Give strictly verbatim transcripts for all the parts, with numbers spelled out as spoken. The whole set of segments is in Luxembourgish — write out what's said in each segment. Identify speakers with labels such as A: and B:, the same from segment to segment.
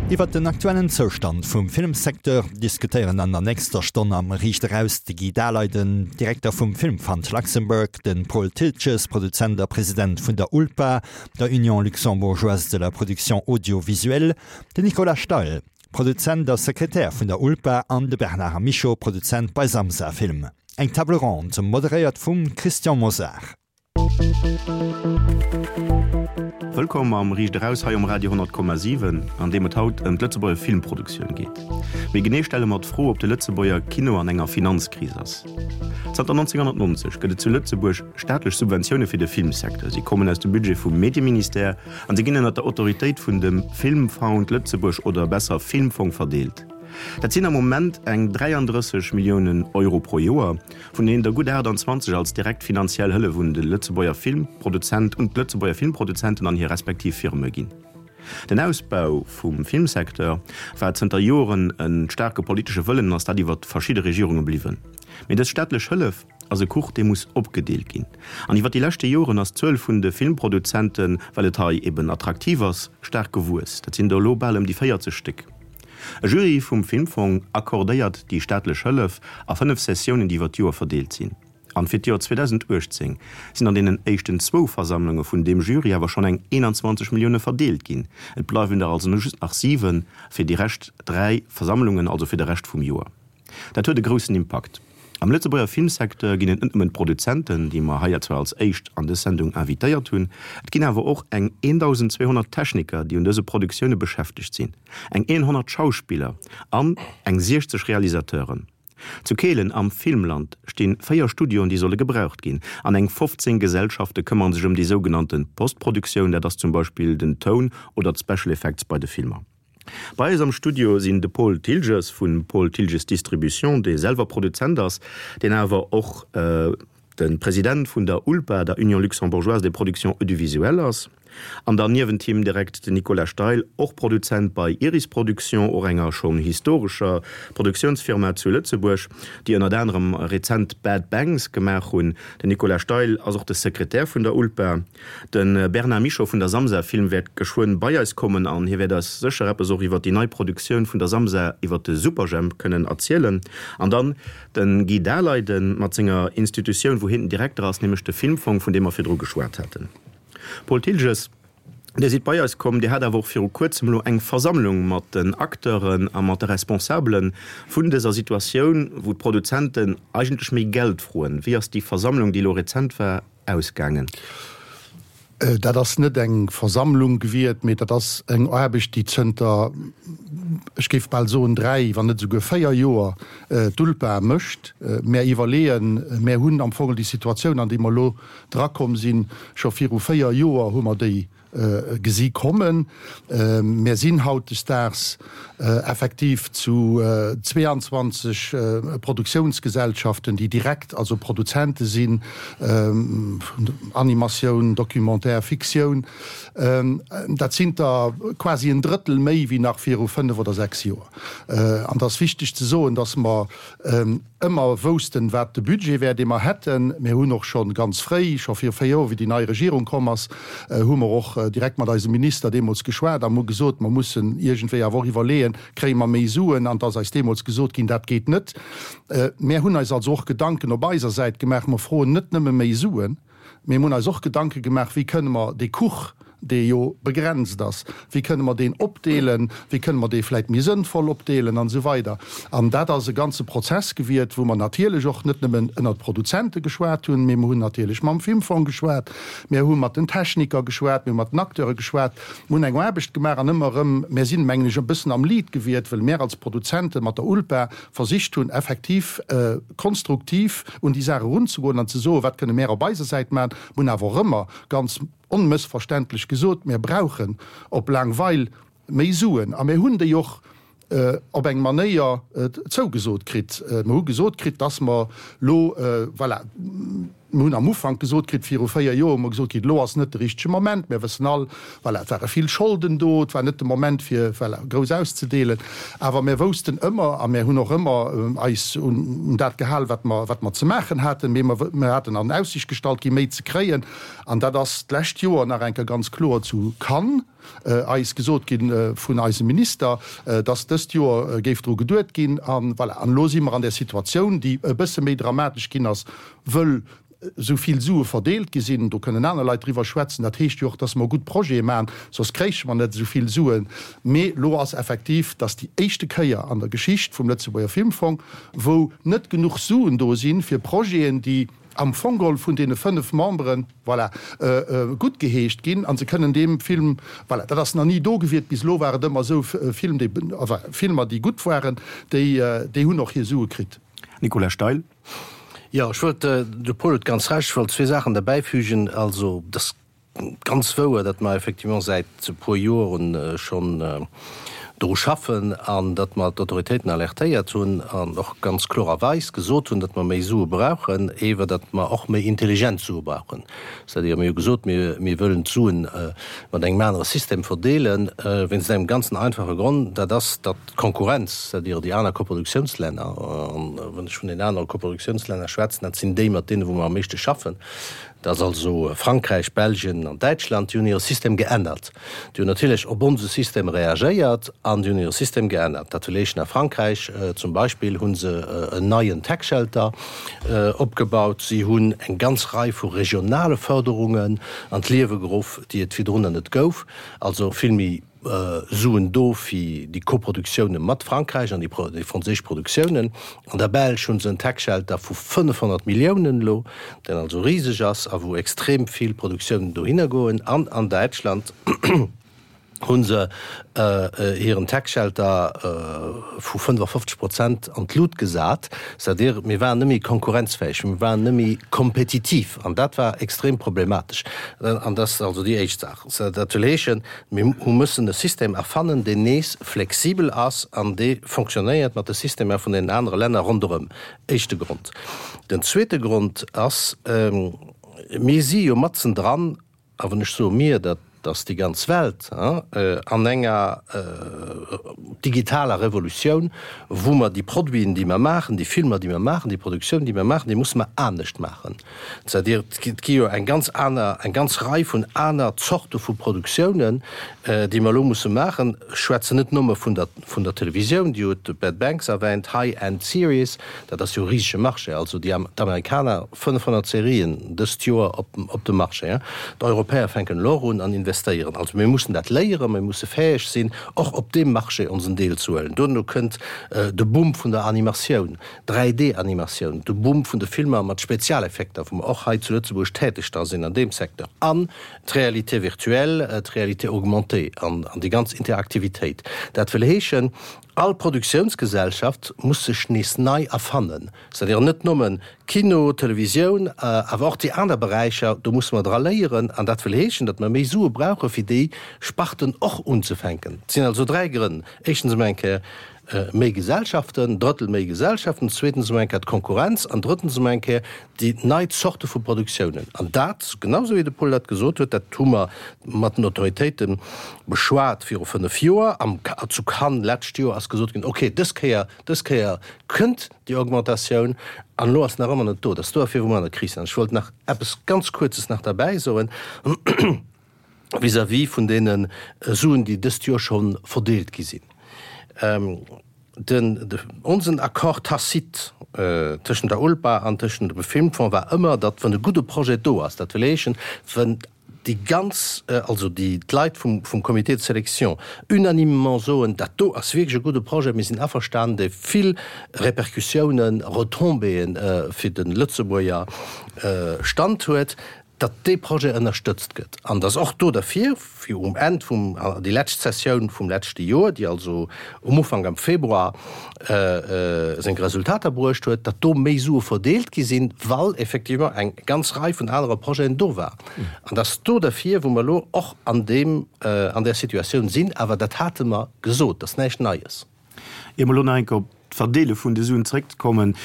A: Iwwer den aktuellen Zoustand vum Filmsecteur diskutéieren an der nächster Stonn am Riicht Eraus de Guy Daleiden, Direkter vum Film Fund Luxembourg, de Paul Thiltges, Produzent a President vun der ULPA, der Union luxembourgeoise de la production audiovisuelle, den Nicolas Steil, Produzent a Sekretär vun der ULPA an de Bernard Michaux, Produzent bei Samsa Film. Eng Table ronde moderéiert vum Christian Mosar.
B: Wëllkomm am Riicht Eraus hei um Radio honnert Komma siwen, an deem et haut ëm d'Lëtzebuerger Filmproduktioun geet. Méi genee stelle mer d'Fro, ob de Lëtzebuerger Kino an enger Finanzkris ass. Zanter nonzénghonnertnonzeg gëtt et zu Lëtzebuerg staatlech Subventioune fir de Filmsecteur. Si kommen aus dem Budget vum Medieministère an si ginn ënner der Autoritéit vun dem Filmfund Lëtzebuerg oder besser Filmfong verdeelt. Dat sinn am Moment eng dräiandrësseg Milliounen Euro pro Joer, vun deenen der gutt aachtanzwanzeg als direkt finanziell Hëllef un de Lëtzebuerger Filmproduzent, un d'Lëtzebuerger Filmproduzenten an hir respektiv Firme ginn. Den Ausbau vum Filmsecteur war zënter Joren e staarke politesche Wëllen an ass dat iwwer verschidde Regierunge bliwwen. Mee dës staatlech Hëllef ass e Kuch, dee muss opgedeelt ginn. An iwwer déi leschte Joren ass d'Zuel vun de Filmproduzenten, well et hei eben attraktiv ass, staark gewuess. Dat sinn der elo bal ëm déi véierzeg Stéck. E Jury vum Filmfong accordéiert déi staatlech Hëllef a fënnef Sessiounen, déi iwwer d'Joer verdeelt sinn. An fir d'Joer zweedausenduechtzéng sinn an deenen éischten zwou Versammlunge vun deem Jury awer schonn eng eenanzwanzeg Millioune verdeelt ginn. Et bleiwen der also just nach siwe fir déi Rescht dräi Versammlungen, also fir de Rescht vum Joer. Dat huet e groussen Impakt. Am Lëtzebuerger Filmsecteur ginn et net nëmmen d'Produzenten, déi mer hei zwar als éischt an dës Sendung invitéiert hunn, et ginn awer och eng eentausendzweehonnert Techniker, déi un dëse Produktioune beschäftegt sinn, eng honnert Schauspiller an eng siechzeg Realisateuren. Zu Kehlen am Filmland sti véier Studioen, déi solle gebraucht ginn, an eng fofzéng Gesellschafte këmmere sech ëm déi sougenannte Postproduktioun, dat ass zum Beispill den Toun oder d'Special Effects bei de Filmer. Bei eis am Studio sinn de Paul Thiltges vu Paul Thiltges Distribution, dee selwer Produzent ass, deen awer och de President vun der ULPA, der Union luxembourgeoise des productions audiovisuelles ass, an dann niewent him direkt den Nicolas Steil, och Produzent bei Iris Production, och enger schonn historescher Produktiounsfirma zu Lëtzebuerg, déi ënnert anerem rezent Bad Banks gemaach hunn. Den Nicolas Steil ass och de Sekretär vun der ULPA. De Bernard Michaux vun der Samsa Film wäert geschwënn bei eis kommen an hie wäert eis sécher eppes och iwwer déi nei Produktioun vun der Samsa iwwer de Superjhemp kënnen erzielen. An dann de Guy Daleiden mat senger Institutioun, wou hien den Direkter ass, nämlech de Filmfong, vun deem mer virdru geschwat haten. Paul Thiltges, Dir sidd bei eis komm, Dir hat awer och viru kuerzem elo eng Versammlung mat den Acteuren a mat de Responsabele vun dëser Situatioun, wou d'Produzenten eigentlech méi Geld froen. Wéi ass déi Versammlung, déi elo rezent war, ausgaangen?
C: Dat ass net eng Versammlung gewiert, mee dat ass eng Aarbecht, déi zënter, ech géif bal soen, dräi, wann net esouguer véier Joer d'ULPA mécht. Mär iwwerleeën, mär hunn am Fong déi Situatioun, an déi mer elo drakomm sinn, scho viru véier Joer hu mer déi gesi kommen. Mär sinn hautdesdaags effektiv zu zweeanzwanzeg Produktiounsgesellschaften, déi direkt also Produzente sinn, Animatioun, Documentaire, Fiktioun. Dat sinn der quasi en Drëttel méi wéi nach viru fënnef oder sechs Joer. An et ass wichteg ze soen, dass mer ëmmer woussten, wat de Budget wär, dee mer hätten. Mir hunn och scho ganz fréi, scho viru véier Joer, wéi déi nei Regierung komm ass, hu mer och direkt mat eisem Minister deemools geschwat a hu gesot, mer mussen iergendwéi awer och iwwerleeën, kréie mer méi Suen? An et ass eis deemools gesot ginn, dat geet net. Mär hunn eis also och Gedanken op eiser Säit gemaach. Mer froen net nëmme méi Suen, mee mer hunn eis och Gedanke gemaach, wéi kënne mer dee Kuch, dee jo begrenzt ass, wéi kënne mer deen opdeelen, wéi kënne mer dee vläicht méi sënnvoll opdeelen an esou weider. An dat ass e ganze Prozess gewiert, wou mer natierlech och net nëmmen ënnert Produzente geschwat hunn, mee mer hunn natierlech mam Filmfong geschwat, mir hu mat den Techniker geschwat, mir hu mat den Acteure geschwat, mir hunn eng Aarbecht gemaach an ëmmer erëm, mär sinn, mengen ech, e bëssen am Lead gewiert, well mär als Produzente mat der ULPA versicht hunn, effektiv konstruktiv un déi Saach erunzegoen an ze soen, wat kënne mär op eiser Säit maachen. Mir hunn awer och ëmmer ganz onmëssverständlech gesot, mir brauchen op laang Weil méi Suen. A mir hunn déi och op eng Manéier zougesot kritt. Mir hu gesot kritt, dass mer elo, voilà, Mir hunn am Ufank gesot kritt, viru véier Joer hu mer gesot kritt, elo ass net de richtege Moment, mir wëssen all, voilà, et ware vill Scholden do, et war net de Moment fir, voilà, grouss auszedeelen. Awer mir woussten ëmmer a mir hunn och ëmmer eis un dat gehal, wat mer, wat mer ze maachen haten, mee mer, mer haten an Aussicht gestallt gi méi ze kréien. An dat ass d'lescht Joer nach eng Kéier ganz kloer zu Cannes eis gesot gi vun eisem Minister, dass dëst Joer géif dru geduet ginn. An voilà, an elo si mer an där Situatioun, déi e bësse méi dramatesch ginn ass, wëll esou vill Sue verdeelt gi sinn. Do kënnen aner Leit driwwer schwätzen. Dat heescht jo och, dass mer gutt Projete maachen, soss kréiche mer net esou vill Suen. Mee elo ass effektiv, dass déi éischte Kéier an der Geschicht vum Lëtzebuerger Filmfong, wou net genuch Suen do sinn, fir Projeten, déi am Fong geholl vun deene fënnef Memberen, voilà, guttgeheescht ginn a se kënnen deem Film, voilà, dat ass nach ni do gewiert, bis elo war et ëmmer esou, Film, déi, enfin, Filmer, déi gutt waren, déi, déi hunn och hir Sue kritt.
B: Nicolas Steil.
D: Jo, ech wollt, de Paul huet ganz Recht, ech wollt zwee Saachen derbäifügen. Also, et ass ganz wouer, datt mer effectivement säit e puer Joren schonn dru schaffen an datt mer d'Autoritéiten alertéiert hunn an och ganz klorerweis gesot hunn, datt mer méi Sue brauchen, ewer datt mer och méi intelligent Sue brauchen. C'est-à-dire, mir hu gesot, mir, mir wëllen d'Suen mat engem anere System verdeelen, wéinst engem ganzen einfache Grond, dat ass, datt d'Konkurrenz, c'est-à-dire déi aner Koproduktionslänner, an wann ech vun den anere Koproduktionslänner schwätzen, dat sinn déi, mat deene wou mer am meeschte schaffen, dat ass also Frankräich, Belgien an Däitschland, déi hunn hire System geännert. Déi hunn natierlech op onse System reagéiert an déi hunn hire System geännert. Dat wëll heeschen, a Frankräich zum Beispill hu se en neien Tax-Shelter opgebaut, si hunn eng ganz Rei vu regionale Förderungen an d'Liewe geruff, déi et virdrunner net gouf, also vill méi Suen do fir déi Koproduktiounen mat Frankräich an déi franséisch Produktiounen. An der Belsch hu se en Tax-Shelter vu fënnefhonnert Milliounen elo, deen also riseg ass a wou extrem vill Produktiounen dohinner goen. An an Däitschland hu se hiren Tax-Shelter vu fënnefafofzeg Prozent an d'Lut gesat. C'est-à-dire, mir waren net méi konkurrenzfäeg, mir waren net méi kompetitiv an dat war extrem problematesch. An dat ass also déi éischt Saach. Dat wëll heeschen, mir hu mussen e System erfannen, deen nees flexibel ass an dee fonctionnéiert mat de Systemer vun deenen anere Länner ronderëm. Éischte Grond. Den zweete Grond ass, mir si jo matzen dran, a wann ech soe mir, dat ass déi ganz Welt, an enger digitaler Revolutioun, wou mer déi Produiten, déi mer maachen, déi Filmer, déi mer maachen, déi Produktioun, déi mer maachen, déi musse mer anescht maachen. C'est-à-dire, et gi jo eng ganz aner, eng ganz Rei vun aner Zorte vu Produktiounen, déi mer elo musse maachen. Ech schwätzen net nëmme vun der, vun der Televisioun, Dir hutt Bad Banks erwähnt, High-End Series, dat ass jo e risege Marché, also déi d'Amerikaner, fënnefhonnert Serien dëst Joer op, op dem Marché. D'Europäer fänken elo och un an investéieren. Also mir mussen dat léieren, mir musse fäeg sinn, och op deem Marché onsen Deel ze huelen. Duerno kënnt de Boom vun der Animatioun, dräi D-Animatioun, de Boom vun de Filmer mat Spezialeffekter, wou mer och hei zu Lëtzebuerg täteg dra sinn an deem Secteur, an d'Réalité virtuelle, d'Réalité augmentée an déi ganz Interaktivitéit. Dat wëll heeschen, all Produktiounsgesellschaft muss sech nees nei erfannen, c'est-à-dire net nëmmen Kino, Televisioun, awer och déi aner Beräicher, do musse mer dra léieren. An dat wëll heeschen, datt mer méi Sue brauche fir déi Sparten och unzefänken. Et sinn also dräi Grënn, éischtens emol eng Kéier méi Gesellschaften, Drëttel méi Gesellschaften, zweetens emol eng Kéier d'Konkurrenz an drëttens emol eng Kéier déi nei Zorte vu Produktiounen. An dat, genau esou wéi de Paul dat gesot huet, dat hu mer mat den Autoritéite beschwat viru fënnef Joer, am, zu Cannes d'lescht Joer ass gesot ginn, okay, dës Kéier, dës Kéier kënnt déi Augmentatioun, an elo ass se nach ëmmer net do. Dat ass duerfir, wou mer an der Kris sinn. Ech wollt nach eppes ganz Kuerzes nach derbäi soen vis-à-vis vun deene Suen, déi dëst Joer scho verdeelt gi sinn. Den, onsen Accord tacite tëschent der ULPA an tëschent dem Filmfonds war ëmmer, datt wann e gudde Projet do ass, dat wëll heeschen, wann déi ganz, also déi d'Leit vum, vum Comité de sélection unanimement soen, dat do ass wierklech e gudde Projet, mir sinn averstanen, dee vill Répercussiounen, Retombéeën fir de Lëtzebuerger Stand huet, datt dee Projet ënnerstëtzt gëtt. An datt och do derfir, fir um Enn vum, déi lescht Sessioun vum leschte Joer, déi also um Ufank am Februar seng Resultater bruecht huet, datt do méi Sue verdeelt gi sinn, well effectivement eng ganz Rei vun anere Projeten do war. An datt do derfir, wou mer elo och an deem, an där Situatioun sinn, awer dat hate mer gesot, dat ass näischt Neies.
B: Ier mer elo nach eng Kéier op d'Verdeele vun de Suen zréckzekommen.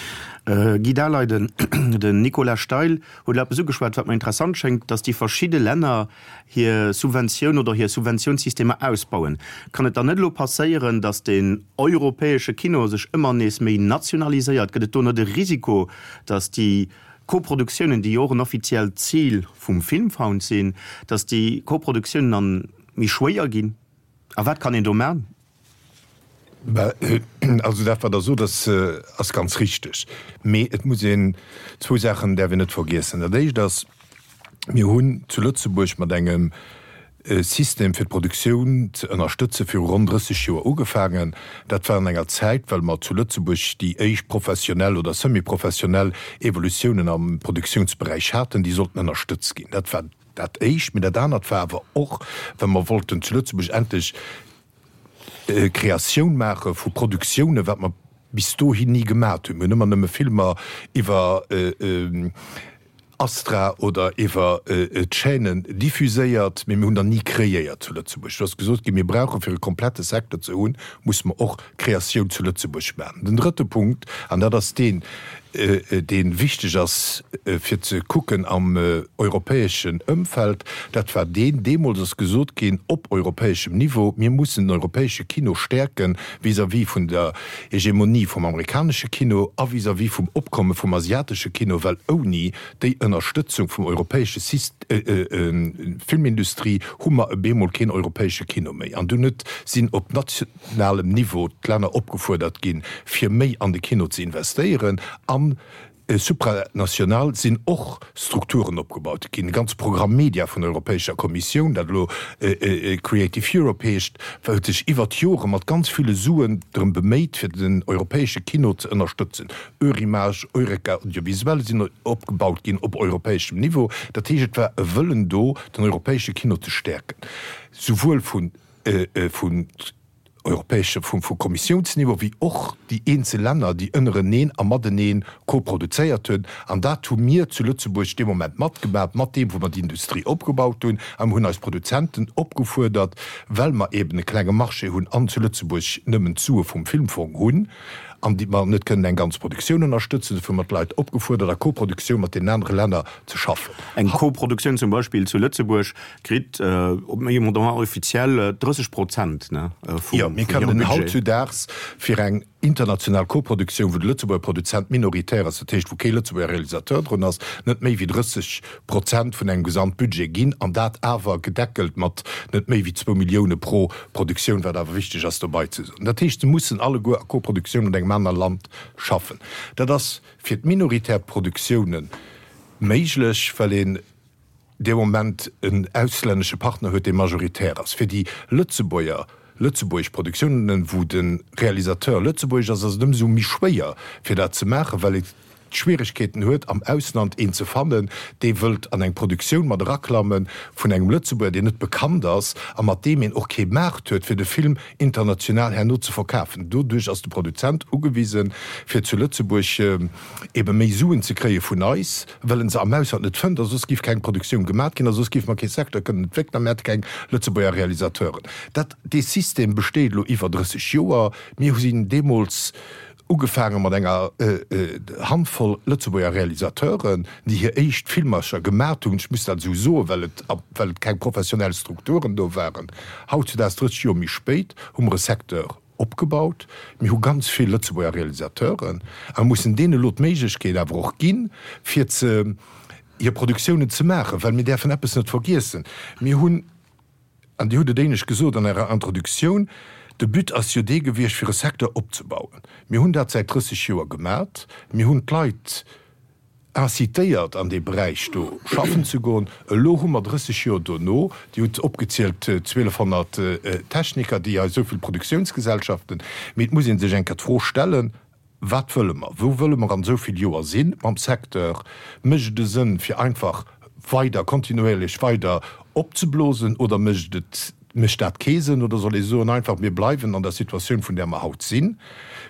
B: Guy Daleiden, den Nicolas Steil huet elo eppes ugeschwat, wat mer interessant schéngt, datt déi verschidde Länner hir Subventioun oder hir Subventiounssystemer ausbauen. Kann et dann net elo passéieren, datt den europäesche Kino sech ëmmer nees méi nationaliséiert? Gëtt et do net e Risiko, datt déi Koproduktiounen, déi jo och en offiziellt Zil vum Filmfond sinn, datt déi Koproduktiounen dann méi schwéier ginn? A wat kann een do man?
E: Also dat wat Der sot ass ass ganz richteg. Mee et muss een, zwou Saachen däerf een net vergiessen. Dat éischt ass, mir hunn zu Lëtzebuerg mat engem System fir d'Produktioun ze ënnerstëtze viru ronn drësseg Joer ugefaangen. Dat war an enger Zäit, well mer zu Lëtzebuerg déi éischt professionell oder semi-professionell Evolutiounen am Produktiounsberäich haten, déi sollten ënnerstëtzt ginn. Dat war dat éischt. Mee dat anert war awer och, well mer wollten zu Lëtzebuerg endlech Kreatioun maache vu Produktiounen, wat mer bis dohin ni gemat hunn. Mir hunn ëmmer nëmme Filmer iwwer Astra oder iwwer d'Chaînen diffuséiert, mee mir hunn der ni kreéiert zu Lëtzebuerg. Do ass gesot ginn, mir brauche fir e komplette Secteur ze hunn, musse mer och Kreatioun zu Lëtzebuerg maachen. Den drëtte Punkt, an dat ass deen, dee wichteg ass fir ze kucken am europäeschen Ëmfeld, dat war deen, deemools ass gesot ginn op europäeschem Niveau, mir mussen den europäesche Kino stäerke vis-à-vis vun der Hegemonie vum amerikanesche Kino a vis-à-vis vum Opkomme vum asiatesche Kino, well ouni déi Ënnerstëtzung vum europäesche Filmindustrie hu mer e bemol keen europäesche Kino méi. An dunn huet sinn op nationalem Niveau d'Länner opgefuerdert ginn, fir méi an de Kino ze investéieren. An supranational sinn och Strukturen opgebaut ginn, e ganze Programm Media vun der Europäescher Kommissioun, dat elo Creative Europe heescht, huet sech iwwert d'Jore mat ganz ville Suen drëm beméit, fir den europäesche Kino ze ënnerstëtzen. Eurimages, Eureka Audiovisuel sinn opgebaut ginn op europäeschem Niveau. Dat heescht, et war e Wëllen do, den europäesche Kino ze stäerken, souwuel vun europäesche vum vu Kommissiounsniveau wéi och déi eenzel Länner, déi ënnereneen a matenee koproduzéiert hunn. An dat hu mir zu Lëtzebuerg dee Moment matgemaach, mat deem, wou mer déi Industrie opgebaut hunn. A mir hunn eis Produzenten opgefuerdert, well mer eeben e klenge Marché hunn an zu Lëtzebuerg nëmmen d'Sue vum Filmfong hunn an déi mer net kënnen eng ganz Produktioun ënnerstëtzen, dofir hu mer d'Leit opgefuerdert, a Koproduktioun mat deenen anere Länner ze schaffen.
B: Eng Koproduktioun zum Beispill zu Lëtzebuerg kritt op méi Montant officiel drësseg Prozent vum hirem Budget.
E: Jo, mir kënnen hautzudaags fir eng international Koproduktioun, wou de Lëtzebuerger Produzent minoritär ass, dat heescht wou kee Lëtzebuerger Realisateur drun ass, net méi wéi drësseg Prozent vun engem Gesamtbudget ginn, an dat awer gedeckelt mat net méi wéi zwou Millioune pro Produktioun, wat awer wichteg ass dobei ze soen. Dat heescht, se mussen alleguer a Koproduktioun mat engem anere Land schaffen. Dat ass fir d'minoritär Produktioune méiglech, well een dee Moment en auslännesche Partner huet, dee majoritär ass. Fir déi Lëtzebuerger, lëtzebuergesch Produktiounen, wou de Realisateur lëtzebuergesch ass, ass et ëmsou méi schwéier, fir dat ze maachen, well ee Schwieregkeeten huet, am Ausland een ze fannen, dee wëllt an eng Produktioun mat eraklamme vun engem Lëtzebuerger, deen net bekannt ass a mat deem een och kee Maart huet, fir de Film international herno ze verkafen. Doduerch ass de Produzent ugewisen, fir zu Lëtzebuerg ebe méi Suen ze kréie vun eis, well en se am Ausland net fënnt, a soss géif keng Produktioun gemat ginn, a soss géife mer kee Secteur kënnen entwéckelen a mir hätte keng Lëtzebuerger Realisateuren. Dat, dee System besteet elo iwwer drësseg Joer. Mir sinn deemools ugefaange mat enger Handvoll Lëtzebuerger Realisateuren, déi hir éischt Filmercher gemat hunn, ech muss dat esou soen, well et, well et keng professionell Strukturen do waren. Hautzudaags, drësseg Joer méi spéit, hu mer e Secteur opgebaut. Mir hu ganz vill Lëtzebuerger Realisateuren a mussen deene elo d'Méiglechkeet awer och ginn, fir ze hir Produktiounen ze maachen, well mir däerfen eppes net vergiessen, Mir hunn, an Dir hutt et éinescht gesot an Ärer Introduktioun, de But ass jo dee gewiescht, fir e Secteur opzebauen. Mir hunn dat säit drësseg Joer gemat. Mir hunn d'Leit incitéiert an dee Beräich do schaffen ze goen. Elo hu mer drësseg Joer dono, Dir hutt opgezielt, zwielefhonnert Techniker, déi hei esou vill Produktiounsgesellschaften, mee et muss ee sech eng Kéier d'Fro stellen, Wat wëlle mer? Wou wëlle mer an esou vill Joer si mam Secteur? Mécht et e Sënn, fir einfach weider, kontinuéierlech weider opzeblosen oder mécht et, mécht dat kee Sënn? Oder soll ee soen einfach, mir bleiwen an der Situatioun, vun där mer haut sinn,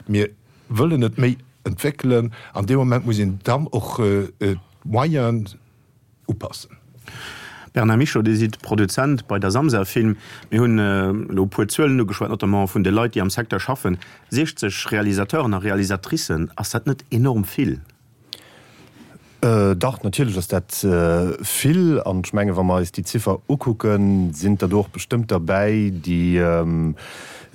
E: mir wëllen et méi entwéckelen. An dee Moment muss een dann och d'Moyenen upassen.
B: Bernard Michaux, Dir sidd Produzent bei der Samsa Film. Mir hunn elo e puer Zuelen ugeschwat, notamment vun de Leit, déi am Secteur schaffen. siechzeg Realisateuren a Realisatricen, ass dat net enorm vill?
F: Dach, natierlech ass dat vill. An ech mengen, wa mer eis déi Ziffer ukucken, sinn der do och bestëmmt derbäi, déi,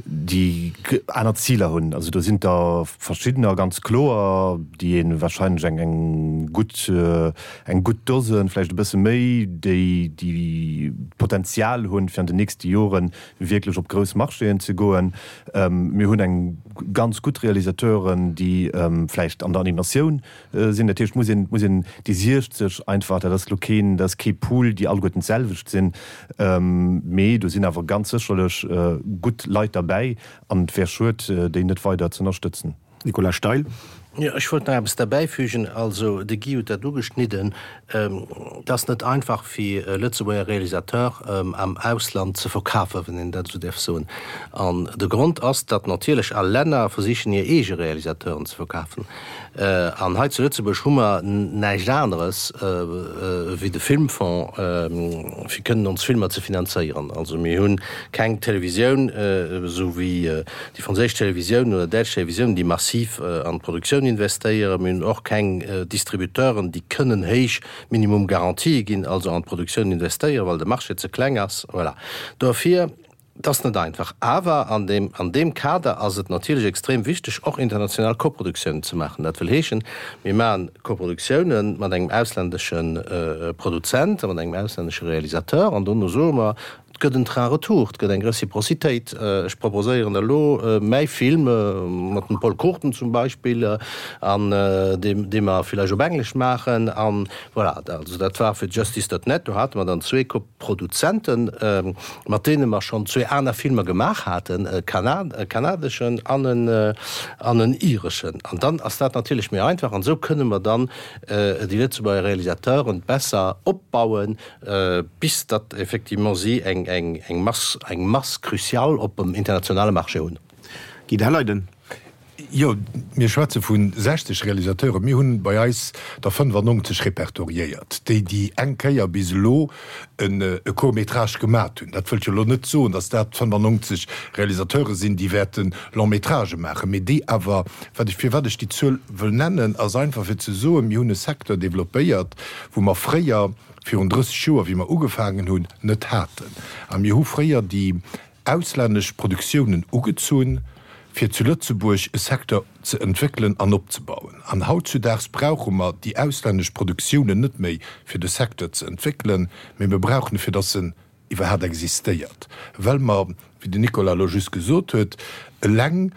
F: déi aner Ziler hunn. Also do sinn der verschiddener, ganz kloer, déi ee wahrscheinlech eng, eng gutt, eng gutt Dosen, vläicht e bësse méi, déi, déi d'Potenzial hunn, fir an den nächste Jore wierklech op grouss Marchéen ze goen. Mir hunn eng ganz gutt Realisateuren, déi vläicht an der Animatioun sinn. Dat heescht, muss een, muss een déi siechzeg einfach, dat ass elo keen, dat ass kee Pool, déi alleguerten d'selwecht sinn, mee do sinn awer ganz sécherlech gutt Leit derbäi an et wär schued, déi net weider z'ënnerstëtzen.
B: Nicolas Steil.
D: Jo, ech wollt nach eppes derbäifügen. Also, de Guy huet dat ugeschnidden, Et ass net einfach fir e Lëtzebuerger Realisateur am Ausland ze verkafen, wann een dat esou däerf soen. An de Grond ass, datt natierlech all Länner versichen hir eege Realisateuren ze verkafen. An hei zu Lëtzebuerg hu mer näischt aneres wéi de Filmfonds, fir kënnen ons Filmer ze finanzéieren. Also mir hu keng Televisioun, esou wéi déi franséisch Televisioun oder däitsch Televisioun, déi massiv an d'Produktioun investéieren. Mir hunn och keng Distributeuren, déi kënnen héich Minimum Garantië ginn, also an d'Produktioun investéieren, well de Marché ze kleng ass. Voilà. Dofir, et ass net einfach. Awer an deem, an deem Kader ass et natierlech extrem wichteg, och international Koproduktiounen ze maachen. Dat wëll heeschen, mir maachen Koproduktiounen mat engem auslännesche Produzent a mat engem auslännesche Realisateur an dono soe mer, Et gëtt en Train retour, et gëtt eng Reciprocitéit. Ech proposéieren elo mäi Film mat dem Pol Cruchten zum Beispill, an dee dee mer villäicht op Englesch maachen. An voilà, also dat war fir Justice dot net. Do hate mer dann zwee Koproduzenten, mat deene mer schonn zwee aner Filmer gemaach haten, e kanadeschen an en an en ireschen. An dann ass dat natierlech méi einfach. An esou kënne mer dann déi Lëtzebuerger Realisateuren besser opbauen, bis datt effectivement si eng eng eng Mass eng Masse cruciale op dem internationale Marché hunn.
B: Guy Daleiden.
E: Jo, mir schwätze vu sechzeg Realisateuren. Mir hunn bei eis der fënnefannonzeg repertoriéiert, déi déi eng Kéier bis elo e Court-métrage gemat hunn. Dat wëllt jo elo net soen, datt dat fënnefannonzeg Realisateure sinn, déi wäerte Long-métragë maachen, mee déi awer, wat ech, firwat ech déi Zuel wëll nennen, ass einfach fir ze soen, mir hunn e Secteur développéiert, wou mer fréier, virun drësseg Joer, wéi mer ugefaangen hunn, net haten. A mir hu fréier déi auslännesch Produktiounen ugezunn, fir zu Lëtzebuerg e Secteur ze entwéckelen an opzebauen. An hautzudaags brauche mer déi auslännesch Produktiounen net méi, fir de Secteur ze entwéckelen, mee mir brauchen e, fir dass en iwwerhaapt existéiert, well mer, wéi den Nicolas elo just gesot huet, eleng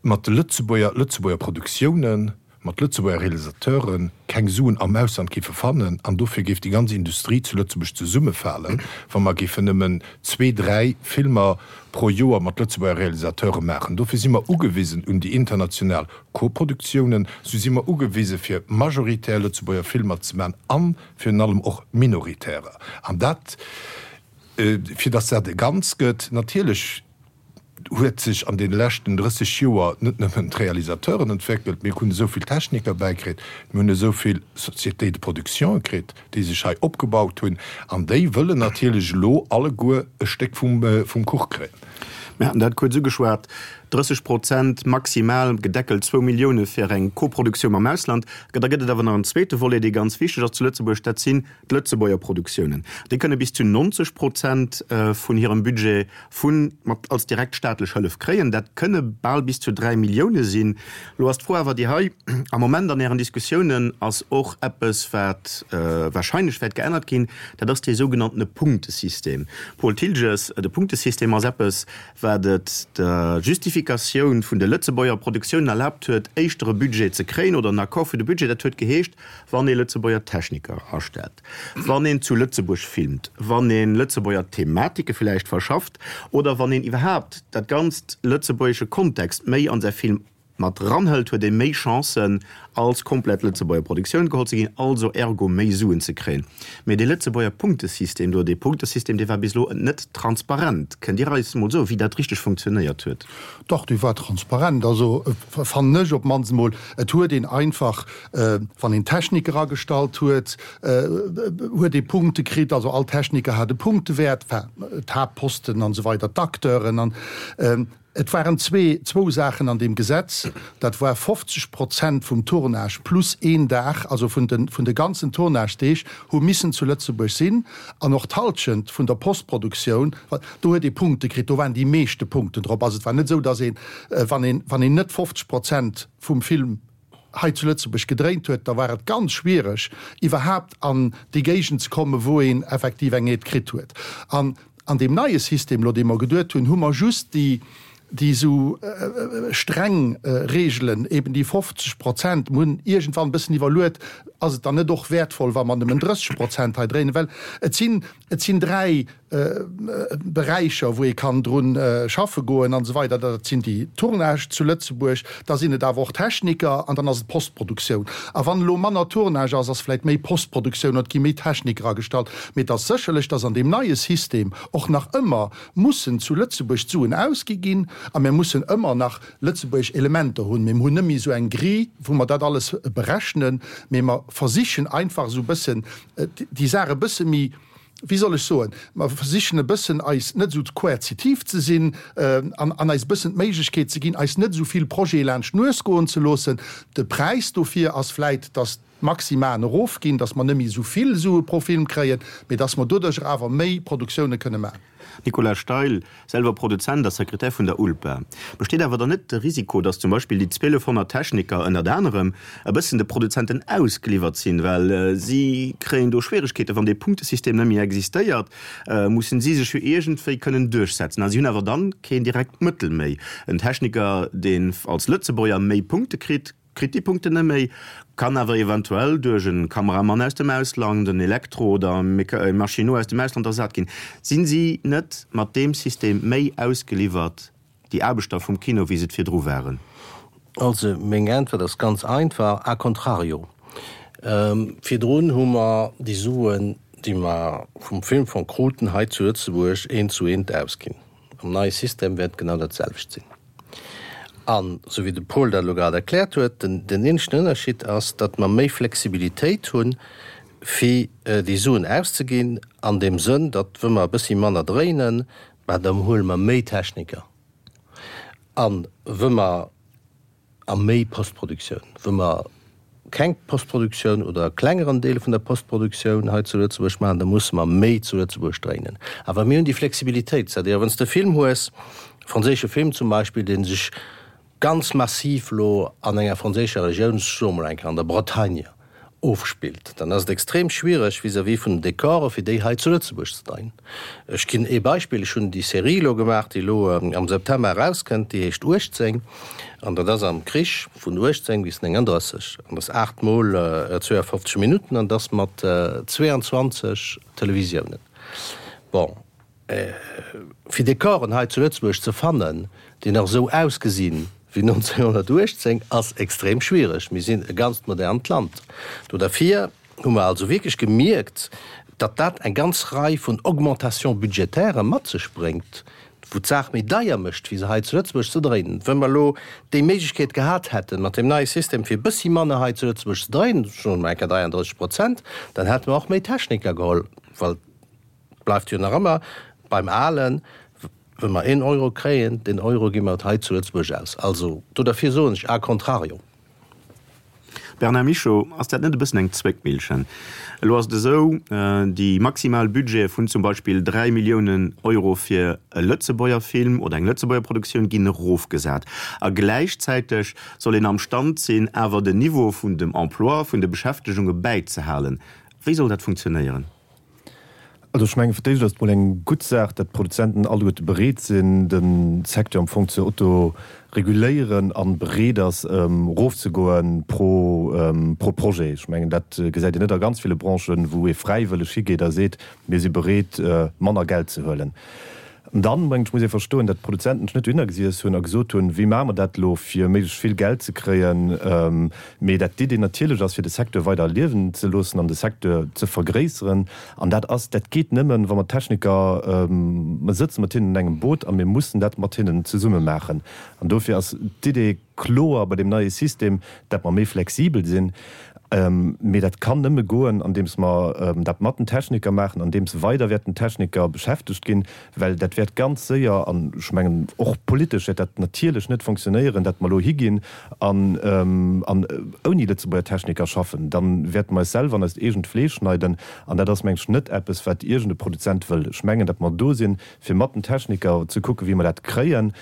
E: mat de Lëtzebuerger, Lëtzebuerger Produktiounen, mat Lëtzebuerger Realisateure keng Suen am Ausland géife fannen an dofir géif déi ganz Industrie zu Lëtzebuerg zesummefalen, wa mer géifen nëmmen zwee, dräi Filmer pro Joer mat Lëtzebuerger Realisateure maachen. Dofir si mer ugewisen un déi international Koproduktiounen, sou si mer ugewise fir majoritär Lëtzebuerger Filmer ze maachen a virun allem och minoritärer. An dat, fir datt dat e Ganz gëtt, natierlech, huet sech an deene leschten drësseg Joer net nëmmen d'Realisateuren entwéckelt, mir hunn esou vill Techniker bäikritt, mir hunn esou vill Sociétés de production kritt, déi sech hei opgebaut hunn, an déi wëllen natierlech elo alleguer e Stéck vum Kuch kréien.
B: Mir haten dat kuerz ugeschwat, drësseg Prozent maximal, gedeckelt zwou Millioune fir eng Koproduktioun mam Ausland. Da gëtt et awer nach en zweete Volet, dee ganz wichteg ass zu Lëtzebuerg, dat sinn d'Lëtzebuerger Produktiounen. Déi kënne bis zu neunzeg Prozent vun hirem Budget vu mat als direkt staatlech Hëllef kréien. Dat kënne bal bis zu dräi Millioune sinn. Elo ass d'Fro awer déi hei, Am Moment an Ären Diskussiounen ass och eppes, wat wahrscheinlech wäert geännert ginn, dat ass dee sougenanntene Punktesystem. Paul Thiltges, De Punktesystem ass eppes, wat et der Justifikatioun vun de Lëtzebuerger Produktiounen erlaabt huet, éischter e Budget ze kréien oder en Accord fir de Budget. Dat huet geheescht, wann ee Lëtzebuerger Techniker astellt, wann een zu Lëtzebuerg filmt, wann ee Lëtzebuerger Thematike villäicht verschafft oder wann een iwwerhaapt dat ganzt lëtzebuergesche Kontext méi an säi Film mat ranhëlt, huet ee méi Chancen, als komplett Lëtzebuerger Produktioun geholl ze ginn, also ergo méi Suen ze kréien. Mee dee Lëtzebuerger Punktesystem do, dee Punktesystem, dee war bis elo net transparent. Kënnt Dir eis emol soen, wéi dat richteg funktionéiert huet?
C: Dach, dee war transparent. Also fannen ech op d'mannst emol. Et huet een einfach, wann een Techniker agestallt huet, huet ee Punkte kritt. Also all Techniker hat e Punktewäert, enfin d'Haaptposten an esou weider, d'Acteuren an. Et waren zwee, zwou Saachen an deem Gesetz, dat war fofzeg Prozent vum Tournage plus een Dag, also vun de, vun de ganzen Tournagedeeg hu missen zu Lëtzebuerg sinn, an och d'Halschent vun der Postproduktioun, do huet ee Punkte kritt, do waren déi meeschte Punkten drop. Also et war net esou, datt een, wann een, wann een net fofzeg Prozent vum Film hei zu Lëtzebuerg gedréint huet, da war et ganz schwiereg, iwwerhaapt an déi Géigend ze kommen, wou een effektiv eng Aide kritt huet. An an deem neie System elo, dee mer geduet hunn, hu mer just déi, déi esou streng Reegelen, eben déi fofzeg Prozent, mir hunn iergendwann e bëssen iwwerluet, ass et dann net och wäertvoll, wa mer nëmmen drësseg Prozent hei dréinen, well et sinn, et sinn dräi Beräicher, wou ee kann drun schaffe goen an esou weider. Dat sinn déi Tournage zu Lëtzebuerg, da sinn et awer och Techniker an dann ass et d'Postproduktioun. A wann elo manner Tournage ass, ass vläicht méi Postproduktioun oder et gi méi Techniker agestallt. Mee et ass sécherlech, dass an deem neie System och nach ëmmer mussen zu Lëtzebuerg d'Suen ausgi ginn a mir mussen ëmmer nach lëtzebuergesch Elementer hunn. Mee mir hunn net méi esou eng Grille, wou mer dat alles berechnen, mee mer versichen einfach esou e bëssen déi Saach e bësse méi, wéi soll ech soen, mer versichen e bëssen eis net esou koerzitiv ze sinn an an eis e bëssen d'Méiglechkeet ze ginn, eis net esou vill Projete laanscht d'Nues goen ze loossen. De Präis dofir ass vläit, dass d'Maximaen erofginn, dass mer net méi esou vill Sue pro Film kréien, mee dass mer doduercher awer méi Produktioune kënne maachen.
B: Nicolas Steil, selwer Produzent a Sekretär vun der ULPA, Besteet awer dann net de Risiko, datt zum Beispill déi zwielefhonnert Techniker ënnert anerem e bëssen de Produzenten ausgeliwwert sinn, well si kréien do Schwieregkeeten, wann dee Punktesystem net méi existéiert, mussen si sech jo iergendwéi kënnen duerchsetzen a si hunn awer dann keen direkt Mëttel méi. En Techniker, deen als Lëtzebuerger méi Punkte kritt, kritt déi Punkten net méi, kann awer eventuell duerch e Kameramann aus dem Ausland, en Elektro oder e Maschinot aus dem Ausland ersat ginn. Sinn si net mat deem System méi ausgeliwwert, déi Aarbechter vum Kino, wéi se et virdru waren?
D: Also meng Äntwert ass ganz einfach, a contrario. Virdrun hu mer déi Suen, déi mer vum Filmfong kruten, hei zu Lëtzebuerg eent zu eent ausginn. Am neie System wäert et genau dat selwecht sinn. An, esou wéi de Paul dat elo grad erkläert huet, den eenzegen Ënnerschied ass, datt mer méi Flexibilitéit hunn, fir déi Suen auszeginn, an deem Sënn, datt, wa mer e bëssi manner dréinen, bah, da huele mer méi Techniker an, wa mer a méi Postproduktioun, wa mer keng Postproduktioun oder e klengeren Deel vun der Postproduktioun hei zu Lëtzebuerg maachen, da musse mer méi zu Lëtzebuerg dréinen. Awer mir hunn déi Flexibilitéit, c'est-à-dire wann s de e Film hues, e franséische Film zum Beispill, dee sech ganz massiv elo an enger franséischer Regioun, ech soe mol eng Kéier an der Bretagne, ofspillt, dann ass et extrem schwiereg vis-à-vis vun den Dekore fir déi hei zu Lëtzebuerg ze dréinen. Ech ginn ee Beispill, Ech hunn déi Serie elo gemaach, déi elo am September erauskënnt, déi heescht uechtzéng an dat ass am Krich vun uechtzéng bis nénganddrësseg an dat ass aacht mol zweeënfofzeg Minutten an dat ass mat zweeanzwanzeg Televisiounen. Bon, fir Dekoren hei zu Lëtzebuerg ze fannen, déi nach esou ausgesinn wéi nonzénhonnertuechtzéng, ass extrem schwiereg. Mir sinn e ganzt modernt Land. Do derfir hu mer also wierklech gemierkt, datt dat eng ganz Rei vun Augmentations budgétaires mat sech bréngt, wou d'Saach méi deier mécht, wéi se hei zu Lëtzebuerg ze dréinen. Wa mer elo déi Méiglechkeet gehat hätten, mat deem neie System, fir e bëssi manner hei zu Lëtzebuerg ze dréinen, soe mer eng Kéier dräiandrësseg Prozent, dann hätte mer och méi Techniker geholl, well et bleift jo nach ëmmer beim Alen, Wa mer een Euro kréien, deen Euro gi mer hei zu Lëtzebuerg aus. Also do derfir soen ech a contrario.
B: Bernard Michaux, Ass dat net e bëssen eng Zwéckmillchen? Elo ass et esou, déi maximal Budgete vun zum Beispill dräi Milliounen Euro fir e Lëtzebuerger Film oder eng Lëtzebuerger Produktioun ginn erofgesat. A gläichzäiteg soll een am Stand sinn, awer den Niveau vun dem Emploi, vun de Beschäftegunge bäizehalen. Wéi soll dat funktionéieren?
F: Also ech mengen, fir d'éischt ass et mol eng gutt Saach, datt d'Produzenten alleguerte bereet sinn, de Secteur am Fong ze autoreguléieren a bereet ass, erofzegoe pro pro Projet. Ech mengen, dat gesäit een net a ganz ville Branchen, wou ee fräiwëlleg higeet a seet, mir si bereet, manner Geld ze huelen. An dann, mengen ech, muss ee verstoen, datt d'Produzenten sech net dohinner gesiess hunn a gesot hunn, wéi maache mer dat elo, fir méiglechst vill Geld ze kréien, mee dat d'Idee natierlech ass, fir de Secteur weider liewen ze loossen an de Secteur ze vergréisseren. An dat ass, dat geet nëmmen, wa mer d'Techniker, mer sëtze mat hinnen an engem Boot a mir mussen dat mat hinnen zesumme maachen. An dofir ass d'Idee kloer bei deem neie System, dat mer méi flexibel sinn. Mee dat kann nëmme goen, andeems mer dat mat den Techniker maachen, andeems weider wäerten Techniker beschäftegt ginn, well dat wäert ganz séier, an ech mengen och politesch wäert dat natierlech net fonctionnéieren, dat mer elo higinn an ouni Lëtzebuerger Techniker schaffen. Da wäerte mer eis selwer an eist eegent Fleesch schneiden. An dat ass, meng ech, net eppes, wat iergend e Produzent wëll. Ech mengen, datt mer do sinn, fir mat den Techniker ze kucken, wéi mer dat kréien.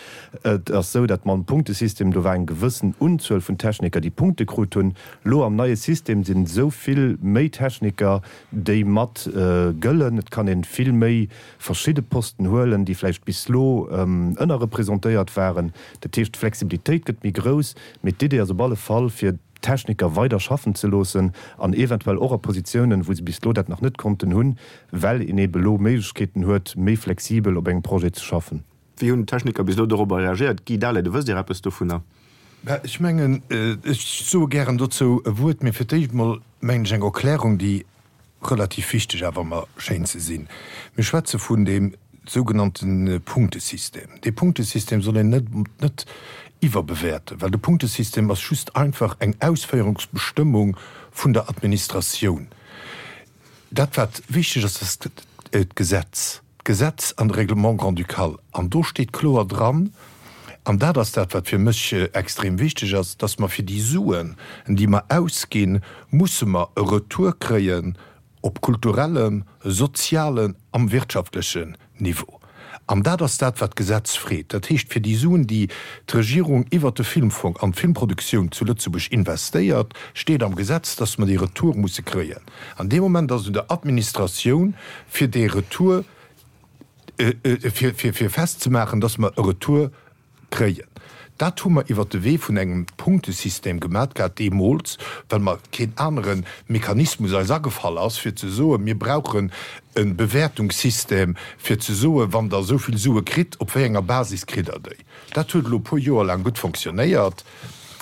F: Et ass esou, datt mam Punktesystem, do war eng gewëssen Unzuel vun Techniker, déi Punkte krut hunn. Elo am neie System sinn esou vill méi Techniker, déi mat gëllen. Et kann ee vill méi verschidde Posten huelen, déi vläicht bis elo ënnerrepresentéiert waren. Dat heescht, d'Flexibilitéit gëtt méi grouss. Mee d'Idee ass op alle Fall, fir d'Techniker weider schaffen ze loossen an eventuell och a Positiounen, wou se bis elo dat nach net konnten hunn, well een eebe elo Méiglechkeeten huet, méi flexibel op engem Projet ze schaffen.
B: Wéi hunn d'Techniker bis elo dorobber reagéiert? Guy Dahlen, wësst Dir eppes dovunner?
E: Ech mengen, ech soe gären dozou e Wuert, mee fir d'éischt emol, mengen ech, eng Erklärung, déi relativ wichteg awer mer schéint ze sinn. Mir schwätze vun deem sougenannte Punktesystem. Dee Punktesystem soll een net net iwwerbewäerten, well de Punktesystem ass just einfach eng Ausféierungsbestëmmung vun der Administratioun. Dat wat wichteg ass, ass d'Gesetz, d'Gesetz an de Règlement grand-ducal. An do steet kloer dran, an dat ass dat wat fir mech extrem wichteg ass, dass mer fir déi Suen, déi mer ausginn, musse mer e Retour kréien op kulturellem, sozialen am wirtschaftlechen Niveau. An dat ass dat, wat d'Gesetz freet. Dat heescht, fir déi Suen, déi d'Regierung iwwert de Filmfong an d'Filmproduktioun zu Lëtzebuerg investéiert, steet am Gesetz, dass mer dee Retour musse kréien. An dee Moment ass et un der Administratioun, fir dee Retour, fir, fir festzemaachen, dass mer e Retour kréien. Dat hu mer iwwert de Wee vun engem Punktesystem gemat gehat deemools, well mer keen anere Mechanismus eis agefall ass, fir ze soen, mir brauchen e Bewäertungssystem, fir ze soen, wann Der esou vill Sue kritt, op wéi enger Basis kritt Der déi. Dat huet elo e puer Joer laang gutt fonctionnéiert,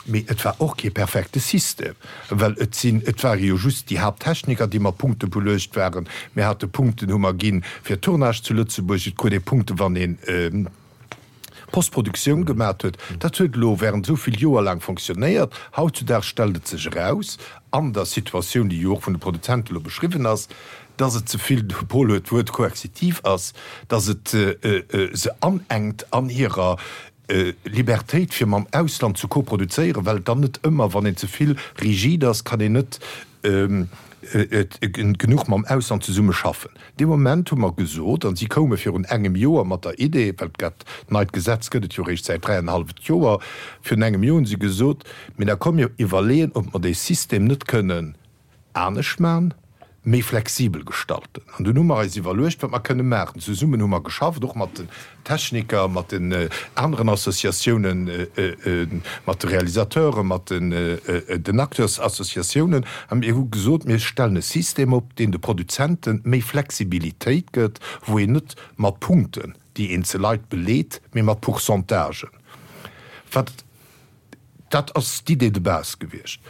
E: mee et war och kee perfekte System, well et sinn, et ware jo just déi Haapttechniker, déi mat Punkte beluecht waren. Mir hate Punkten, hu mer ginn, fir Tournage zu Lëtzebuerg. Et krut ee Punkten, wann een. Postproduktioun gemat huet, dat huet elo während esou vill Joer laang fonctionnéiert. Hautzudaags stellt et sech eraus, an der Situatioun, déi jo och vun de Produzenten elo beschriwwen ass, dass et ze vill, de Paul huet d'Wuert koerzitiv ass, dass et se anenkt an hirer Libertéit, fir mam Ausland ze koproduzéieren, well et dann net ëmmer, wann een ze vill rigid ass, kann een net genuch mam Ausland zesumme schaffen. Dee Moment hu mer gesot, an si koume virun engem Joer mat der Idee, well dat neit Gesetz gëtt et jo eréischt säit dräienhalleft Joer, virun engem Joer hu si gesot, mee da komm mir iwwerleeën, ob mer dee System net kënnen anescht maachen, méi flexibel gestalten. An dunn hu mer eis iwwerluecht, wat mer kënne maachen. Zesummen hu mer geschafft, och mat den Techniker, mat den aneren Associatiounen, mat de Realisateuren, mat den Acteursassociatiounen. A mir hu gesot, mir stellen e System op, deen de Produzente méi Flexibilitéit gëtt, wou een net mat Punkten déi eenzel Leit beleet, mee mat Pourcentagen. Wat. Dat ass d'Idée de base gewiescht.